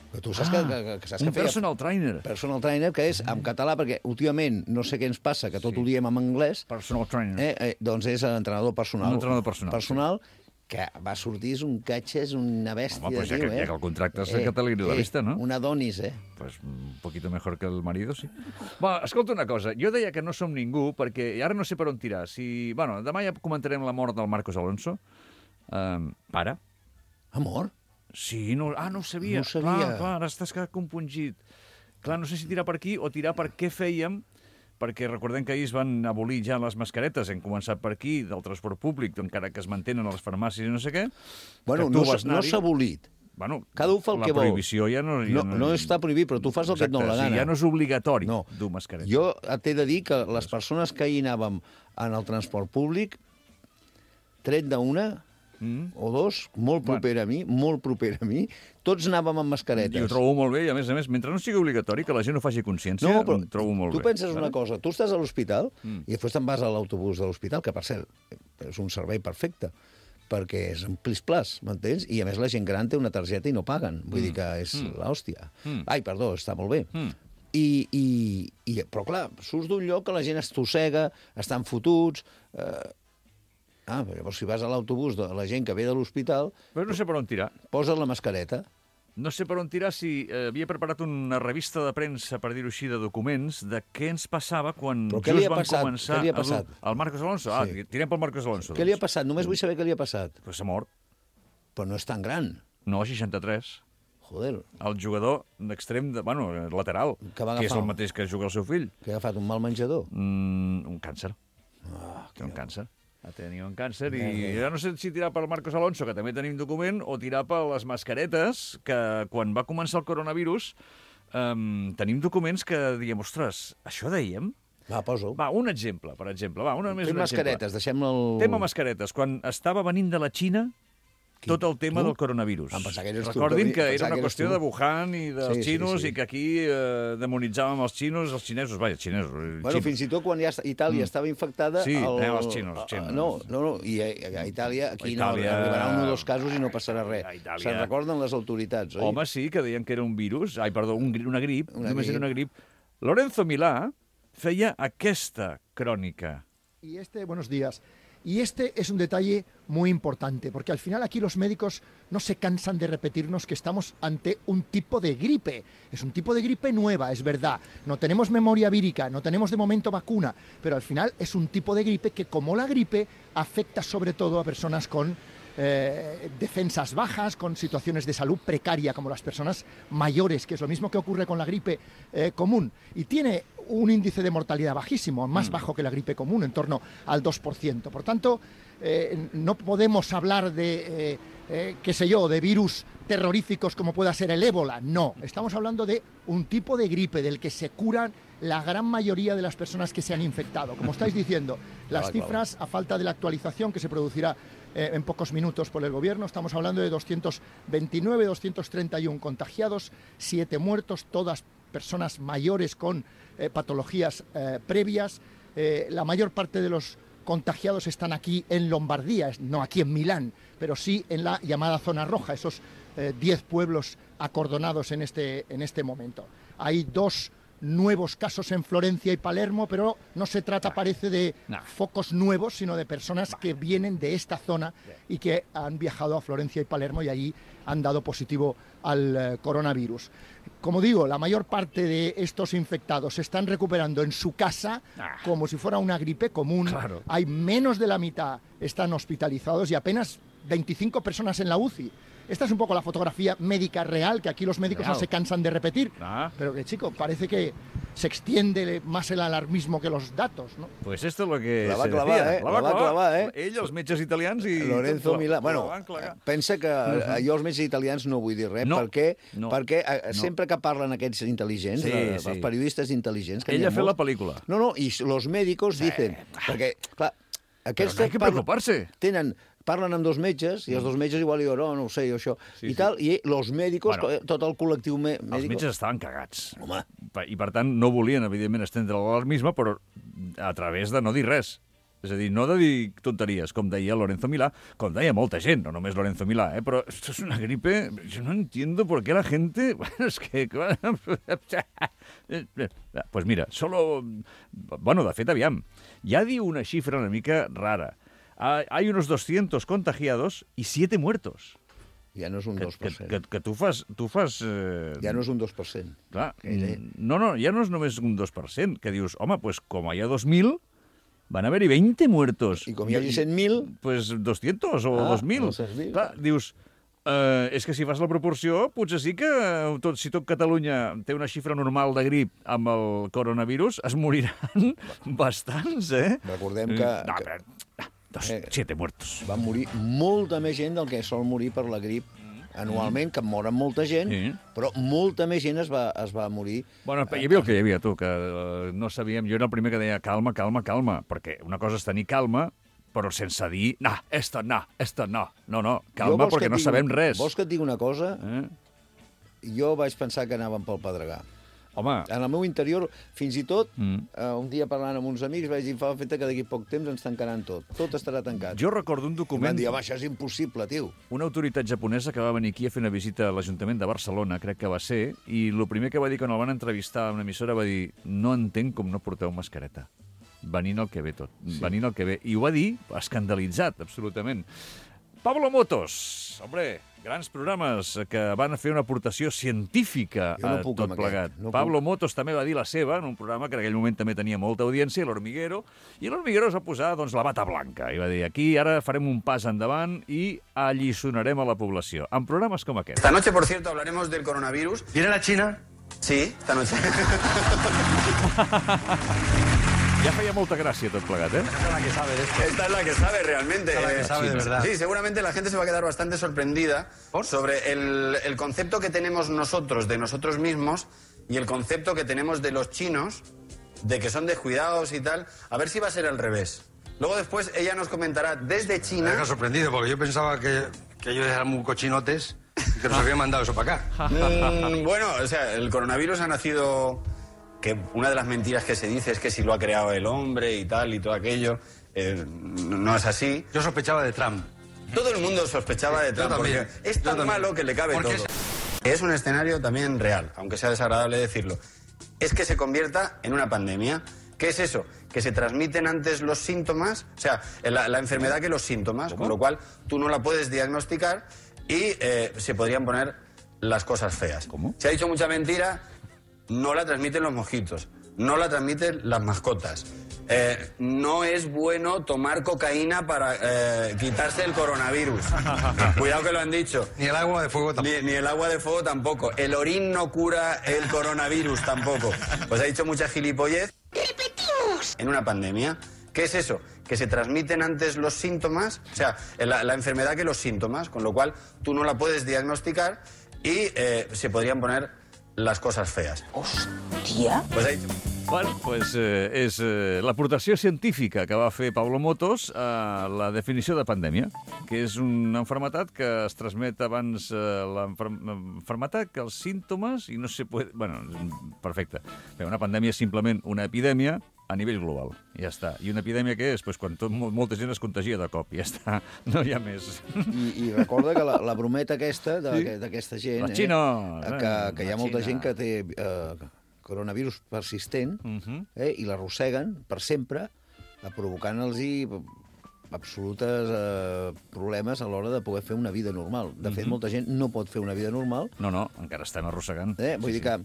Però tu saps ah, que, que, que, saps un que feia... personal trainer. Personal trainer, que és en català, perquè últimament no sé què ens passa, que tot sí. ho diem en anglès. Personal trainer. Eh, eh, doncs és l'entrenador personal. Un entrenador personal. Personal, sí. que va sortir, és un catxa, és una bèstia. Home, pues ja, tio, que, eh? ja que el contracte és eh, Catalina de la vista, no? Un Adonis, eh? Pues un poquito mejor que el marido, sí. Bueno, escolta una cosa, jo deia que no som ningú, perquè ara no sé per on tirar. Si... Bueno, demà ja comentarem la mort del Marcos Alonso. Um, pare. Ha mort? Sí, no, ah, no ho sabia. No ho sabia. Clar, clar, ara estàs compungit. Clar, no sé si tirar per aquí o tirar per què fèiem, perquè recordem que ahir es van abolir ja les mascaretes, hem començat per aquí, del transport públic, encara que es mantenen a les farmàcies i no sé què. Bueno, no, no s'ha abolit. Bueno, cada un fa el que vol. La prohibició ja no... Ja no, no... no està prohibit, però tu fas el Exacte, que et dona la gana. Sí, ja no és obligatori no. dur mascareta. Jo t'he de dir que les persones que hi anàvem en el transport públic, tret d'una... Mm. o dos, molt proper bueno. a mi, molt proper a mi, tots anàvem amb mascaretes. I ho trobo molt bé, i a més a més, mentre no sigui obligatori, que la gent no faci consciència, no, però ho trobo molt tu bé. Tu penses vale? una cosa, tu estàs a l'hospital mm. i després te'n vas a l'autobús de l'hospital, que per cert, és un servei perfecte, perquè és un plis-plas, m'entens? I a més la gent gran té una targeta i no paguen, vull mm. dir que és mm. l'hòstia. Mm. Ai, perdó, està molt bé. Mm. I, i, i, però clar, surts d'un lloc que la gent es tossega, estan fotuts... Eh, Ah, però llavors si vas a l'autobús de la gent que ve de l'hospital... Però no sé per on tirar. Posa't la mascareta. No sé per on tirar si eh, havia preparat una revista de premsa, per dir-ho així, de documents, de què ens passava quan just van passat? començar... Què li ha passat? El Marcos Alonso? Sí. Ah, tirem pel Marcos Alonso. Què doncs. li ha passat? Només vull saber què li ha passat. Pues s'ha mort. Però no és tan gran. No, seixanta-tres. Joder. El jugador d'extrem, de, bueno, lateral, que, que és el mateix que juga el seu fill. Que ha agafat un mal menjador? Mm, un càncer. Oh, Té un càncer. Ha tenit un càncer i ja no sé si tirar per Marcos Alonso, que també tenim document, o tirar per les mascaretes, que quan va començar el coronavirus um, tenim documents que diguem, ostres, això dèiem? Va, poso. Va, un exemple, per exemple. Va, una més Fem un mascaretes, deixem el... Tema mascaretes. Quan estava venint de la Xina, Qui? tot el tema tu? del coronavirus. Em pensava que eres Recordin tu, que era una que qüestió tu. de Wuhan i dels sí, xinos sí, sí. i que aquí eh, demonitzàvem els xinos, els xinesos, vaja, xinesos. Bueno, xinos. fins i tot quan ja Itàlia mm. estava infectada... Sí, el... anem als xinos, xinos. No, no, no, i a, a Itàlia aquí Itàlia... no, arribarà un o dos casos i no passarà res. Itàlia... Se'n recorden les autoritats, oi? Home, sí, que deien que era un virus, ai, perdó, un, una grip, una només grip. era una grip. Lorenzo Milá feia aquesta crònica. Y este, buenos días. Y este es un detalle muy importante, porque al final aquí los médicos no se cansan de repetirnos que estamos ante un tipo de gripe. Es un tipo de gripe nueva, es verdad. No tenemos memoria vírica, no tenemos de momento vacuna, pero al final es un tipo de gripe que, como la gripe, afecta sobre todo a personas con eh, defensas bajas, con situaciones de salud precaria, como las personas mayores, que es lo mismo que ocurre con la gripe eh, común. Y tiene un índice de mortalidad bajísimo, más bajo que la gripe común, en torno al dos por ciento. Por tanto, eh, no podemos hablar de, eh, eh, qué sé yo, de virus terroríficos como pueda ser el ébola. No, estamos hablando de un tipo de gripe del que se curan la gran mayoría de las personas que se han infectado. Como estáis diciendo, las cifras, a falta de la actualización que se producirá eh, en pocos minutos por el Gobierno, estamos hablando de doscientos veintinueve, doscientos treinta y uno contagiados, siete muertos, todas personas mayores con eh, patologías eh, previas. Eh, la mayor parte de los contagiados están aquí en Lombardía, no aquí en Milán, pero sí en la llamada zona roja, esos diez pueblos acordonados en este, en este momento. Hay dos nuevos casos en Florencia y Palermo, pero no se trata, parece, de no. focos nuevos, sino de personas que vienen de esta zona y que han viajado a Florencia y Palermo y allí han dado positivo al eh, coronavirus. Como digo, la mayor parte de estos infectados se están recuperando en su casa ah. como si fuera una gripe común. Claro. Hay menos de la mitad están hospitalizados y apenas veinticinco personas en la U C I. Esta es un poco la fotografía médica real, que aquí los médicos claro. no se cansan de repetir, ah. pero que, chico, parece que se extiende más el alarmismo que los datos, ¿no? Pues esto es lo que la va se clavar, decía. Eh? La va, la va clavar, eh? Ell, els metges italians i... Lorenzo Milà. Bueno, pensa que uh-huh. jo els metges italians no vull dir res, no. perquè, no. perquè no. sempre que parlen aquests intel·ligents, sí, eh, sí. els periodistes intel·ligents... Que Ell ha fet molts... la pel·lícula. No, no, i los médicos sí. dicen... Perquè, clar, aquests... Però no hay que preocupar-se. Tenen... Parlen amb dos metges, i els dos metges igual diuen, oh, no ho sé, jo això, sí, i tal, sí. i los médicos, bueno, tot el col·lectiu mèdic... Els metges estaven cagats. Home. I, per tant, no volien, evidentment, estendre l'alarmisme, però a través de no dir res. És a dir, no de dir tonteries, com deia Lorenzo Milà, com deia molta gent, no només Lorenzo Milà, eh? Però esto es una gripe... Yo no entiendo por qué la gente... Bueno, es que... Pues mira, solo... Bueno, de fet, aviam, ja diu una xifra una mica rara. Hay unos doscientos contagiados y siete muertos. Ja no és un dos per cent. Que, que, que tu fas... Tu fas eh... Ja no és un dos per cent. Clar, no, no, ja no és només un dos per cent, que dius, home, pues com hi ha dos mil, van haver-hi veinte muertos. I com hi hagi cent mil... Pues doscientos o ah, dos mil. Clar, dius... Uh, és que si fas la proporció, potser sí que tot, si tot Catalunya té una xifra normal de grip amb el coronavirus, es moriran bastants, eh? Recordem que... No, però... Dos, eh, siete muertos. Va morir molta més gent del que sol morir per la grip anualment, que moren molta gent, sí. però molta més gent es va, es va morir. Bueno, hi havia el que hi havia, tu, que uh, no sabíem... Jo era el primer que deia calma, calma, calma, perquè una cosa és tenir calma, però sense dir, no, esto no, esto no. No, no, calma, perquè no dic, sabem res. Vols que et digui una cosa? Eh? Jo vaig pensar que anàvem pel Pedregà. Home. En el meu interior, fins i tot, mm. uh, un dia parlant amb uns amics, vaig dir, fa el fet que d'aquí poc temps ens tancaran tot. Tot estarà tancat. Jo recordo un document... I van dir, home, això és impossible, tio. Una autoritat japonesa que va venir aquí a fer una visita a l'Ajuntament de Barcelona, crec que va ser, i el primer que va dir quan el van entrevistar a una emissora va dir, no entenc com no porteu mascareta. Venint el que ve tot, sí. venint el que ve. I ho va dir escandalitzat, absolutament. Pablo Motos, hombre, grans programes que van fer una aportació científica no a tot plegat. No Pablo puc. Motos també va dir la seva en un programa que en aquell moment també tenia molta audiència, l'Hormiguero, i l'Hormiguero es va posar doncs, la bata blanca i va dir, aquí ara farem un pas endavant i alliçonarem a la població, amb programes com aquest. Esta noche, por cierto, hablaremos del coronavirus. ¿Viene la China? Sí, esta noche. Ya feia molta gràcia tot plegat, ¿eh? Esta es la que sabe de esto. Esta es la que sabe realmente. Esta es la que sabe de verdad. Sí, seguramente la gente se va a quedar bastante sorprendida ¿Por? sobre el, el concepto que tenemos nosotros de nosotros mismos y el concepto que tenemos de los chinos, de que son descuidados y tal. A ver si va a ser al revés. Luego después ella nos comentará desde China... Me deja sorprendido porque yo pensaba que, que ellos eran muy cochinotes y que nos habían mandado eso para acá. Mm, bueno, o sea, el coronavirus ha nacido... que una de las mentiras que se dice es que si lo ha creado el hombre y tal y todo aquello, eh, no es así. Yo sospechaba de Trump. Todo el mundo sospechaba de Trump, porque es tan malo que le cabe todo. Es... es un escenario también real, aunque sea desagradable decirlo. Es que se convierta en una pandemia. ¿Qué es eso? Que se transmiten antes los síntomas, o sea, la, la enfermedad que los síntomas, con lo cual tú no la puedes diagnosticar y eh, se podrían poner las cosas feas. ¿Cómo? Se ha dicho mucha mentira, no la transmiten los mosquitos, no la transmiten las mascotas. Eh, no es bueno tomar cocaína para eh, quitarse el coronavirus. Cuidado que lo han dicho. Ni el agua de fuego tampoco. Ni, ni el agua de fuego tampoco. El orín no cura el coronavirus tampoco. Pues ha dicho mucha gilipollez. ¡Repetimos! En una pandemia. ¿Qué es eso? Que se transmiten antes los síntomas, o sea, la, la enfermedad que los síntomas, con lo cual tú no la puedes diagnosticar y eh, se podrían poner las cosas feas. Hòstia! Pues ha dicho... Bueno, pues, eh, és eh, l'aportació científica que va fer Pablo Motos a la definició de pandèmia, que és una enfermetat que es transmet abans eh, l'enfermetat que els símptomes i no se puede... Bueno, perfecte. Bé, una pandèmia és simplement una epidèmia a nivell global, i ja està. I una epidèmia què és? Pues quan tot, molta gent es contagia de cop, i ja està. No hi ha més. I, i recorda que la, la brometa aquesta, d'aquesta Sí? gent... La Xina! Eh, que, que hi ha La molta Xina. gent que té eh, coronavirus persistent Mhm. eh, i l'arrosseguen per sempre, eh, provocant-los absolutes eh, problemes a l'hora de poder fer una vida normal. De fet, Mhm. molta gent no pot fer una vida normal. No, no, encara estan arrossegant. Eh? Vull Sí, dir que,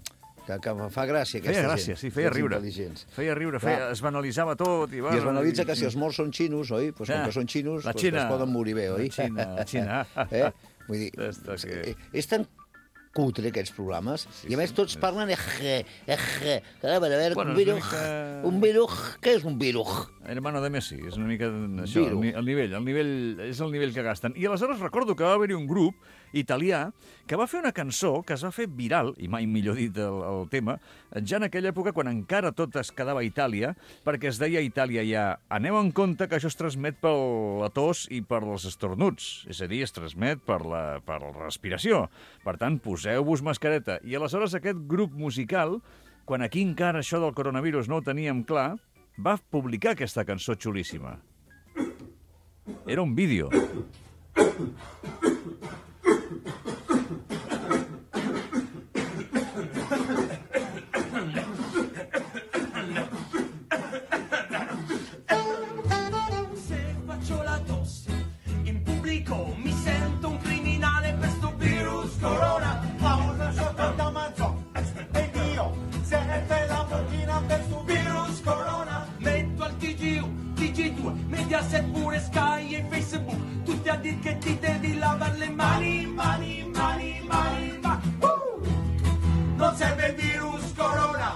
que, que fa gràcia aquesta Feia gràcia, gent. sí, feia els riure. intel·ligents. Feia riure, Clar. feia, es banalitzava tot. I, bueno, I es banalitza que i- si els morts són xinos, oi? Pues com Ah, que són xinos, la pues Xina. es poden morir bé, oi? La Xina, la Xina. eh? Vull dir, Esta que- eh, és tan cutre, aquests programes, Sí, i a més sí, tots és- parlen eje, eje, a veure, a veure, Bueno, un és una virus, mica- un virus, què és un virus? Hermano de Messi, és una mica això, el, Viru. ni- el nivell, el nivell, és el nivell que gasten. I aleshores recordo que va haver-hi un grup italià que va fer una cançó que es va fer viral, i mai millor dit el, el tema, ja en aquella època quan encara tot es quedava a Itàlia, perquè es deia a Itàlia ja, aneu en compte que això es transmet per la tos i per els estornuts, és a dir, es transmet per la, per la respiració. Per tant, poseu-vos mascareta. I aleshores aquest grup musical, quan aquí encara això del coronavirus no ho teníem clar, va publicar aquesta cançó xulíssima. Era un vídeo. Se faccio la tosse in pubblico mi sento un criminale per sto virus corona. Pausa sotto da mazzo e io se ne fai la bocchina per sto virus corona. Metto al T G uno, T G due, Mediaset pure Sky e Facebook, tutti a dir che ti devi lavare le mani, mani, mani, mani, mani. Uh! Non serve il virus corona,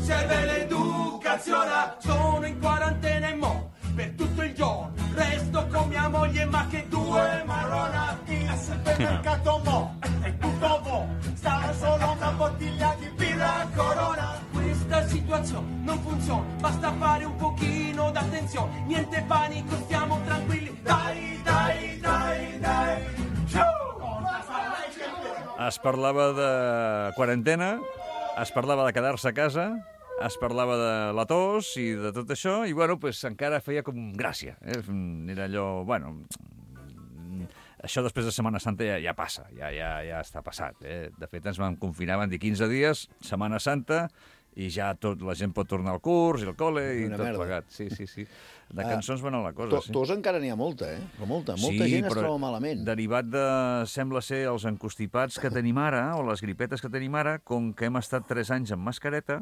serve l'educazione. Sono in quarantena e mo per tutto il giorno resto con mia moglie, ma che due marrona. Il supermercato mo è tutto mo, stava solo una bottiglia di birra corona. Questa situazione non funziona, basta fare un pochino d'attenzione, niente panico, stiamo tranquilli, dai, dai, dai, dai. Es parlava de quarantena, es parlava de quedar-se a casa, es parlava de la tos i de tot això, i bueno, pues, encara feia com gràcia. Eh? Era allò, bueno, això després de Setmana Santa ja, ja passa, ja, ja, ja està passat. Eh? De fet, ens vam confinar, van dir quinze dies, Setmana Santa, i ja tot, la gent pot tornar al curs i al col·le i Una tot merda. plegat. Sí, sí, sí. De Ah, cançons va anar la cosa, To, sí. tos encara n'hi ha molta, eh? Però molta, molta gent es troba malament. Derivat de, sembla ser, els encostipats que tenim ara, o les gripetes que tenim ara, com que hem estat tres anys amb mascareta,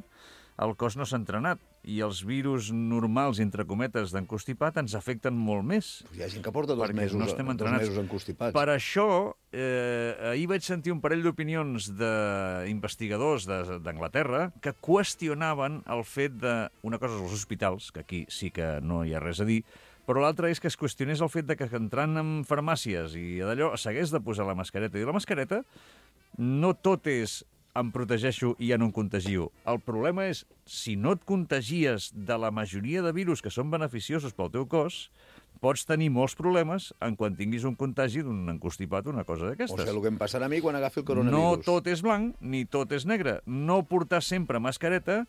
el cos no s'ha entrenat, i els virus normals, entre cometes, d'encostipat ens afecten molt més. Hi ha gent que porta dos perquè mesos, no estem dos entrenats. mesos encostipats. Per això, eh, ahir vaig sentir un parell d'opinions d'investigadors de- d'Anglaterra que qüestionaven el fet de... Una cosa és els hospitals, que aquí sí que no hi ha res a dir, però l'altra és que es qüestionés el fet de que entrant en farmàcies i d'allò s'hagués de posar la mascareta. I la mascareta no tot és em protegeixo i ja no em contagio. El problema és, si no et contagies de la majoria de virus que són beneficiosos pel teu cos, pots tenir molts problemes en quan tinguis un contagi d'un encostipat o una cosa O d'aquestes. sigui, el que em passarà a mi quan agafi el No coronavirus. tot és blanc ni tot és negre. No portar sempre mascareta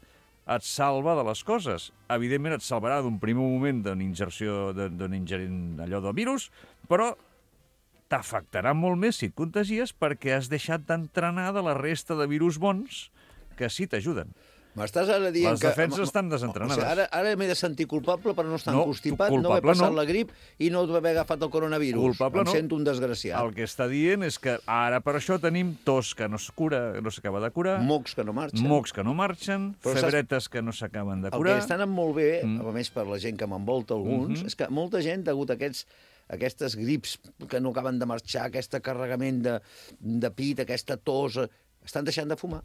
et salva de les coses. Evidentment et salvarà d'un primer moment d'una ingerció, d'un ingerint allò del virus, però t'afectarà molt més si et contagies perquè has deixat d'entrenar de la resta de virus bons que sí t'ajuden. M'estàs ara dient Les que... defenses estan desentrenades. O sigui, ara ara m'he de sentir culpable per no estar No, encostipat, tu no haver culpable passat no. la grip i no haver agafat el coronavirus. Culpable em no. sento un desgraciat. El que està dient és que ara per això tenim tos que no es cura, no s'acaba de curar, Mocs que no marxen. mocs que no marxen, Però saps- febretes que no s'acaben de El curar. que està anant molt bé, Mm. a més per la gent que m'envolta alguns, Mhm. és que molta gent, degut a aquests aquestes grips que no acaben de marxar, aquest carregament de, de pit, aquesta tos, eh, estan deixant de fumar.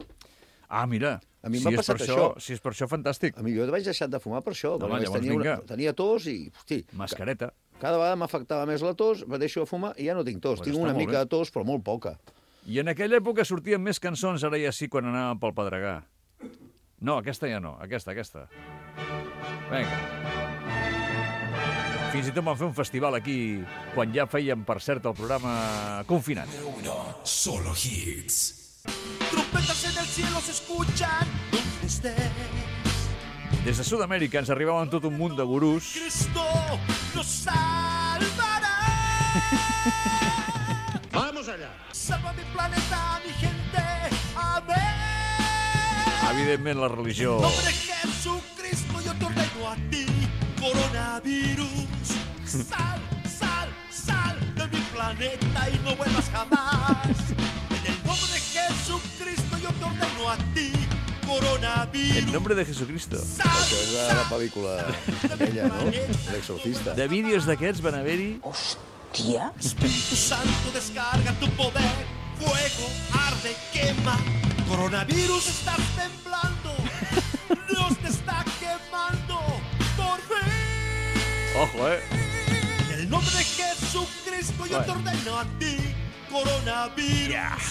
Ah, mira, A mi si m'ha és passat per això. Si és per això, fantàstic. A mi jo vaig deixar de fumar per això. No, perquè home, només llavors tenia, una, vinga. tenia tos i, hosti, Mascareta. cada vegada m'afectava més la tos, me deixo de fumar i ja no tinc tos. Pues tinc està una molt mica bé. de tos, però molt poca. I en aquella època sortien més cançons, ara ja sí, quan anàvem pel Pedregà. No, aquesta ja no, aquesta, aquesta. Vinga. Fins i tot vam fer un festival aquí, quan ja fèiem, per cert, el programa confinat. Solo hits. Trompetas en el cielo se escuchan donde estés. Des de Sud-amèrica ens arribaven tot un munt de gurús. Cristo nos salvará. Vamos allá. Salva mi planeta, mi gente. Amén. Evidentment, la religió. En nombre de Jesucristo yo te ordeno a ti, coronavirus. Sal, sal, sal de mi planeta y no vuelvas jamás. En el nombre de Jesucristo yo te ordeno a ti, coronavirus. En nombre de Jesucristo. Això és de la pel·lícula aquella, no? L'exorcista. De vídeos d'aquests van haver-hi... Hòstia. Espíritu Santo, descarga tu poder. Fuego, arde, quema. Coronavirus, estás temblando. Dios te está quemando. Por fin. Ojo, eh? En el nombre de Jesucristo yo te ordeno a ti, coronavirus.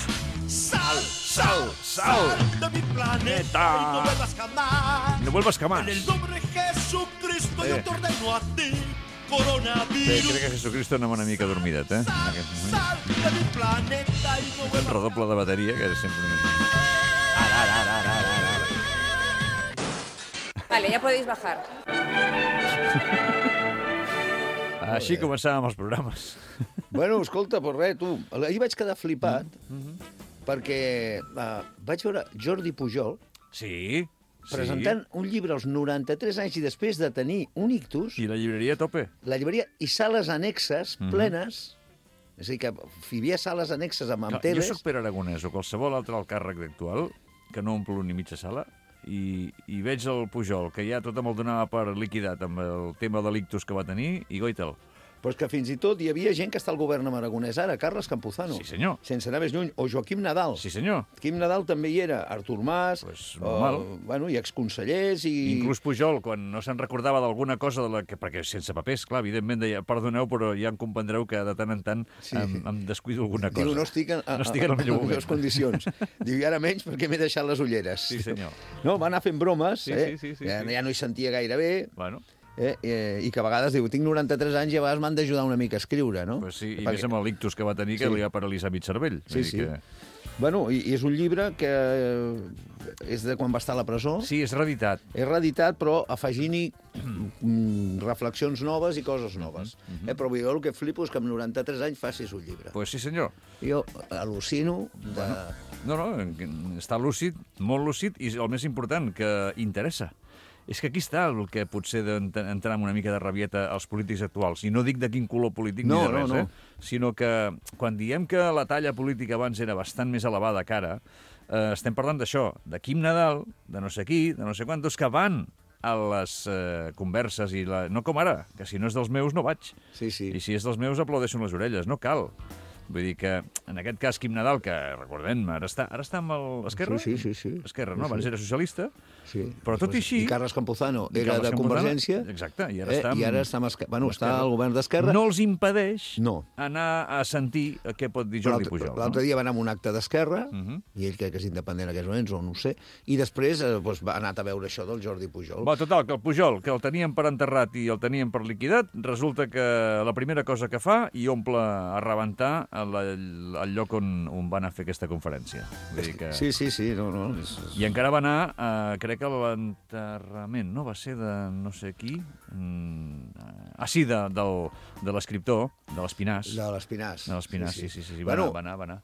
Sal, sal, sal de mi planeta y no vuelvas jamás. No vuelvas jamás. En el nombre de Jesucristo yo Eh. te ordeno a ti, Bé, coronavirus. crec que Jesucristo anava una mica dormidet, eh? En aquest moment. Sal de mi planeta y no Un vuelvas redoble de bateria, que és sempre una... Ara, ara, ara, ara, ara, ara. Vale, ya podéis bajar. Així començàvem els programes. Bueno, escolta, pues res, tu, ahir vaig quedar flipat Mhm. perquè uh, vaig veure Jordi Pujol Sí, presentant un llibre als noranta-tres anys i després de tenir un ictus, I la llibreria a tope. la llibreria i sales annexes Mhm. plenes, és a dir, que hi havia sales annexes amb, amb Jo teles. sóc Pere Aragonès o qualsevol altre alt càrrec actual que no omplo ni mitja sala i, i veig el Pujol, que ja tothom el donava per liquidat amb el tema de l'ictus que va tenir, i goita'l. Però és que fins i tot hi havia gent que està al govern amb Aragonès ara, Carles Campuzano. Sí, senyor. Sense anar més lluny. O Joaquim Nadal. Sí, senyor. Quim Nadal també hi era. Artur Mas, Pues normal. o, bueno, i exconsellers i... Inclús Pujol, quan no se'n recordava d'alguna cosa, de la que, perquè sense papers, clar, evidentment deia, perdoneu, però ja em comprendreu que de tant en tant Sí. em, em descuido alguna cosa. Diu, no estic en, no estic en el millor en les moment. condicions. Diu, i ara menys perquè m'he deixat les ulleres. Sí, senyor. No, va anar fent bromes, Sí, eh? sí, sí, sí, ja, sí. ja no hi sentia gaire bé, Bueno, eh? Eh, i que a vegades diu, tinc noranta-tres anys i a vegades m'han d'ajudar una mica a escriure, no? pues sí, i Perquè- més amb l'ictus que va tenir, que Sí. li ha paralitzat mig cervell. Sí, Vull sí. dir Que... Bueno, i, i és un llibre que eh, és de quan va estar a la presó. Sí, és reeditat. És reeditat, però afegint-hi mm, reflexions noves i coses noves. Mhm. eh? Però jo el que flipo és que amb noranta-tres anys facis un llibre. Pues sí, senyor. Jo al·lucino de... No, no, està lúcid, molt lúcid, i el més important, que interessa. És que aquí està el que potser d'entrar amb una mica de rabieta als polítics actuals. I no dic de quin color polític No, ni de res, no, no. eh? Sinó que quan diem que la talla política abans era bastant més elevada que ara, eh, estem parlant d'això, de Quim Nadal, de no sé qui, de no sé quantos, que van a les eh, converses, i la... no com ara, que si no és dels meus no vaig. Sí, sí. I si és dels meus aplaudeixo amb les orelles, no cal. Vull dir que, en aquest cas, Quim Nadal, que, recordem, ara està, ara està amb l'Esquerra? Sí, sí, sí, sí. Esquerra, Sí, no? Abans sí. era socialista. Sí. Però tot i així... I Carles Campuzano I era Carles de Campuzano, Convergència. exacte, i ara eh? està amb- I ara està, amb Esquerra. Bueno, amb està Esquerra. al govern d'Esquerra. No els impedeix No. anar a sentir què pot dir Jordi L'altre Pujol. l'altre dia va anar a un acte d'Esquerra, Uh -huh. i ell crec que és independent en aquests moments, o no ho sé, i després eh, doncs, va anar a veure això del Jordi Pujol. Va, total, que el Pujol, que el teníem per enterrat i el teníem per liquidat, resulta que la primera cosa que fa i omple a rebentar el, el lloc on, on van a fer aquesta conferència. Vull dir que... Sí, sí, sí, no, no. És... I encara va anar, eh, crec que a l'enterrament, no? Va ser de no sé qui... Mm, ah, sí, de, del, de l'escriptor, de l'Espinàs. De l'Espinàs. De l'Espinàs, sí, sí, sí, sí, va, Bueno, anar, va anar, va anar.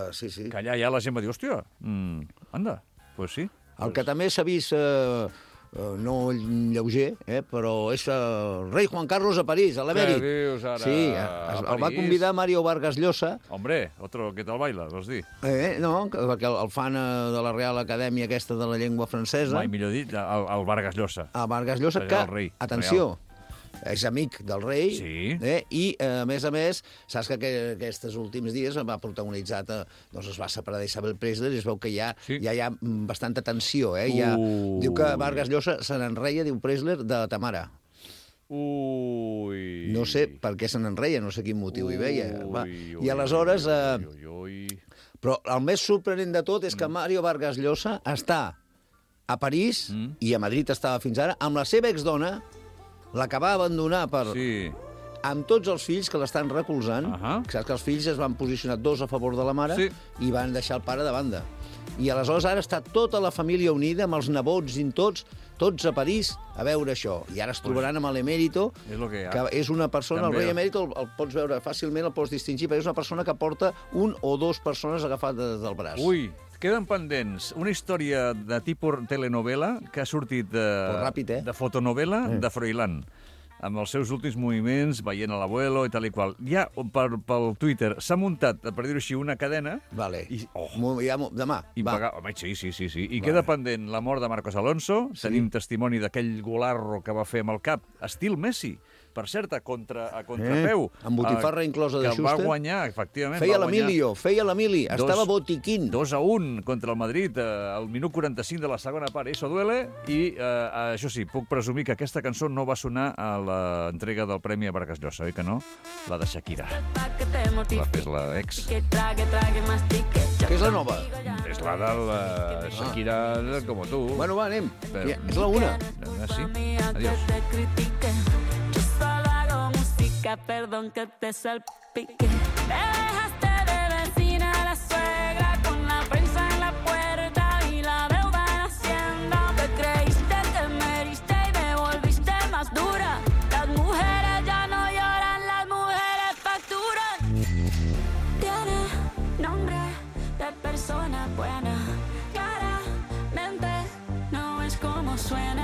Uh, sí, sí. Que allà ja la gent va dir, hòstia, mm, anda, pues sí. El que també s'ha vist, eh, eh, no lleuger, eh, però és el rei Juan Carlos a París, a l'emèrit. Què dius ara? Sí, A el va París? convidar Mario Vargas Llosa. Hombre, otro que tal baila, vols dir? Eh, no, perquè el, el fan eh, de la Real Acadèmia aquesta de la llengua francesa. Mai millor dit, el, el Vargas Llosa. A Vargas Llosa, Allà que, el rei, atenció, és amic del rei, Sí. eh, i, eh, a més a més, saps que, que aquests últims dies va protagonitzar, eh, doncs es va separar d'Isabel Preisler i es veu que ja, Sí. ja hi ha mm, bastanta tensió. Eh? Ja, Ui. diu que Vargas Llosa se n'enreia, diu Preisler, de Tamara. Ui... No sé per què se n'enreia, no sé quin motiu hi veia. Va. Ui, I aleshores... Eh, ui, ui. però el més sorprenent de tot és que Mario Vargas Llosa està a París, Mm. i a Madrid estava fins ara, amb la seva exdona, la que va abandonar per... Sí. amb tots els fills que l'estan recolzant. Uh -huh. Saps que els fills es van posicionar dos a favor de la mare Sí. i van deixar el pare de banda. I aleshores ara està tota la família unida, amb els nebots i tots, tots a París, a veure això. I ara es trobaran amb l'emèrito, És lo que hi ha. que és una persona, També. el rei emèrito el, el pots veure fàcilment, el pots distingir, perquè és una persona que porta un o dos persones agafades del braç. Ui, queden pendents una història de tipus telenovela que ha sortit de, Però ràpid, eh? de fotonovela Eh. de Froilán, amb els seus últims moviments, veient a l'abuelo i tal i qual. Ja per, pel Twitter s'ha muntat, per dir-ho així, una cadena... Vale. I, oh, Mo- ja, mo- demà, i va. pagar... Home, sí, sí, sí, sí. I Vale. queda pendent la mort de Marcos Alonso. Sí. Tenim testimoni d'aquell golarro que va fer amb el cap, estil Messi, per cert, a, contra, a contrapeu. Eh, amb botifarra inclosa de que Schuster. Que va guanyar, efectivament. Feia va guanyar l'Emilio, feia l'Emili, dos- estava botiquín. dos a un contra el Madrid eh, al minut quaranta-cinc de la segona part. Eso duele. I, eh, això sí, puc presumir que aquesta cançó no va sonar a l'entrega del Premi a Vargas Llosa, oi que no? La de Shakira. La fes la ex. Que és la nova. És la de la Shakira como tú. Bueno, va, anem. Però- Ja, és la una. Ah, sí? Adiós. Perdón que te salpique. Te dejaste de vecina a la suegra con la prensa en la puerta y la deuda en Hacienda. Te creíste que me heriste y me volviste más dura. Las mujeres ya no lloran, las mujeres facturan. Tiene nombre de persona buena. Claramente no es como suena.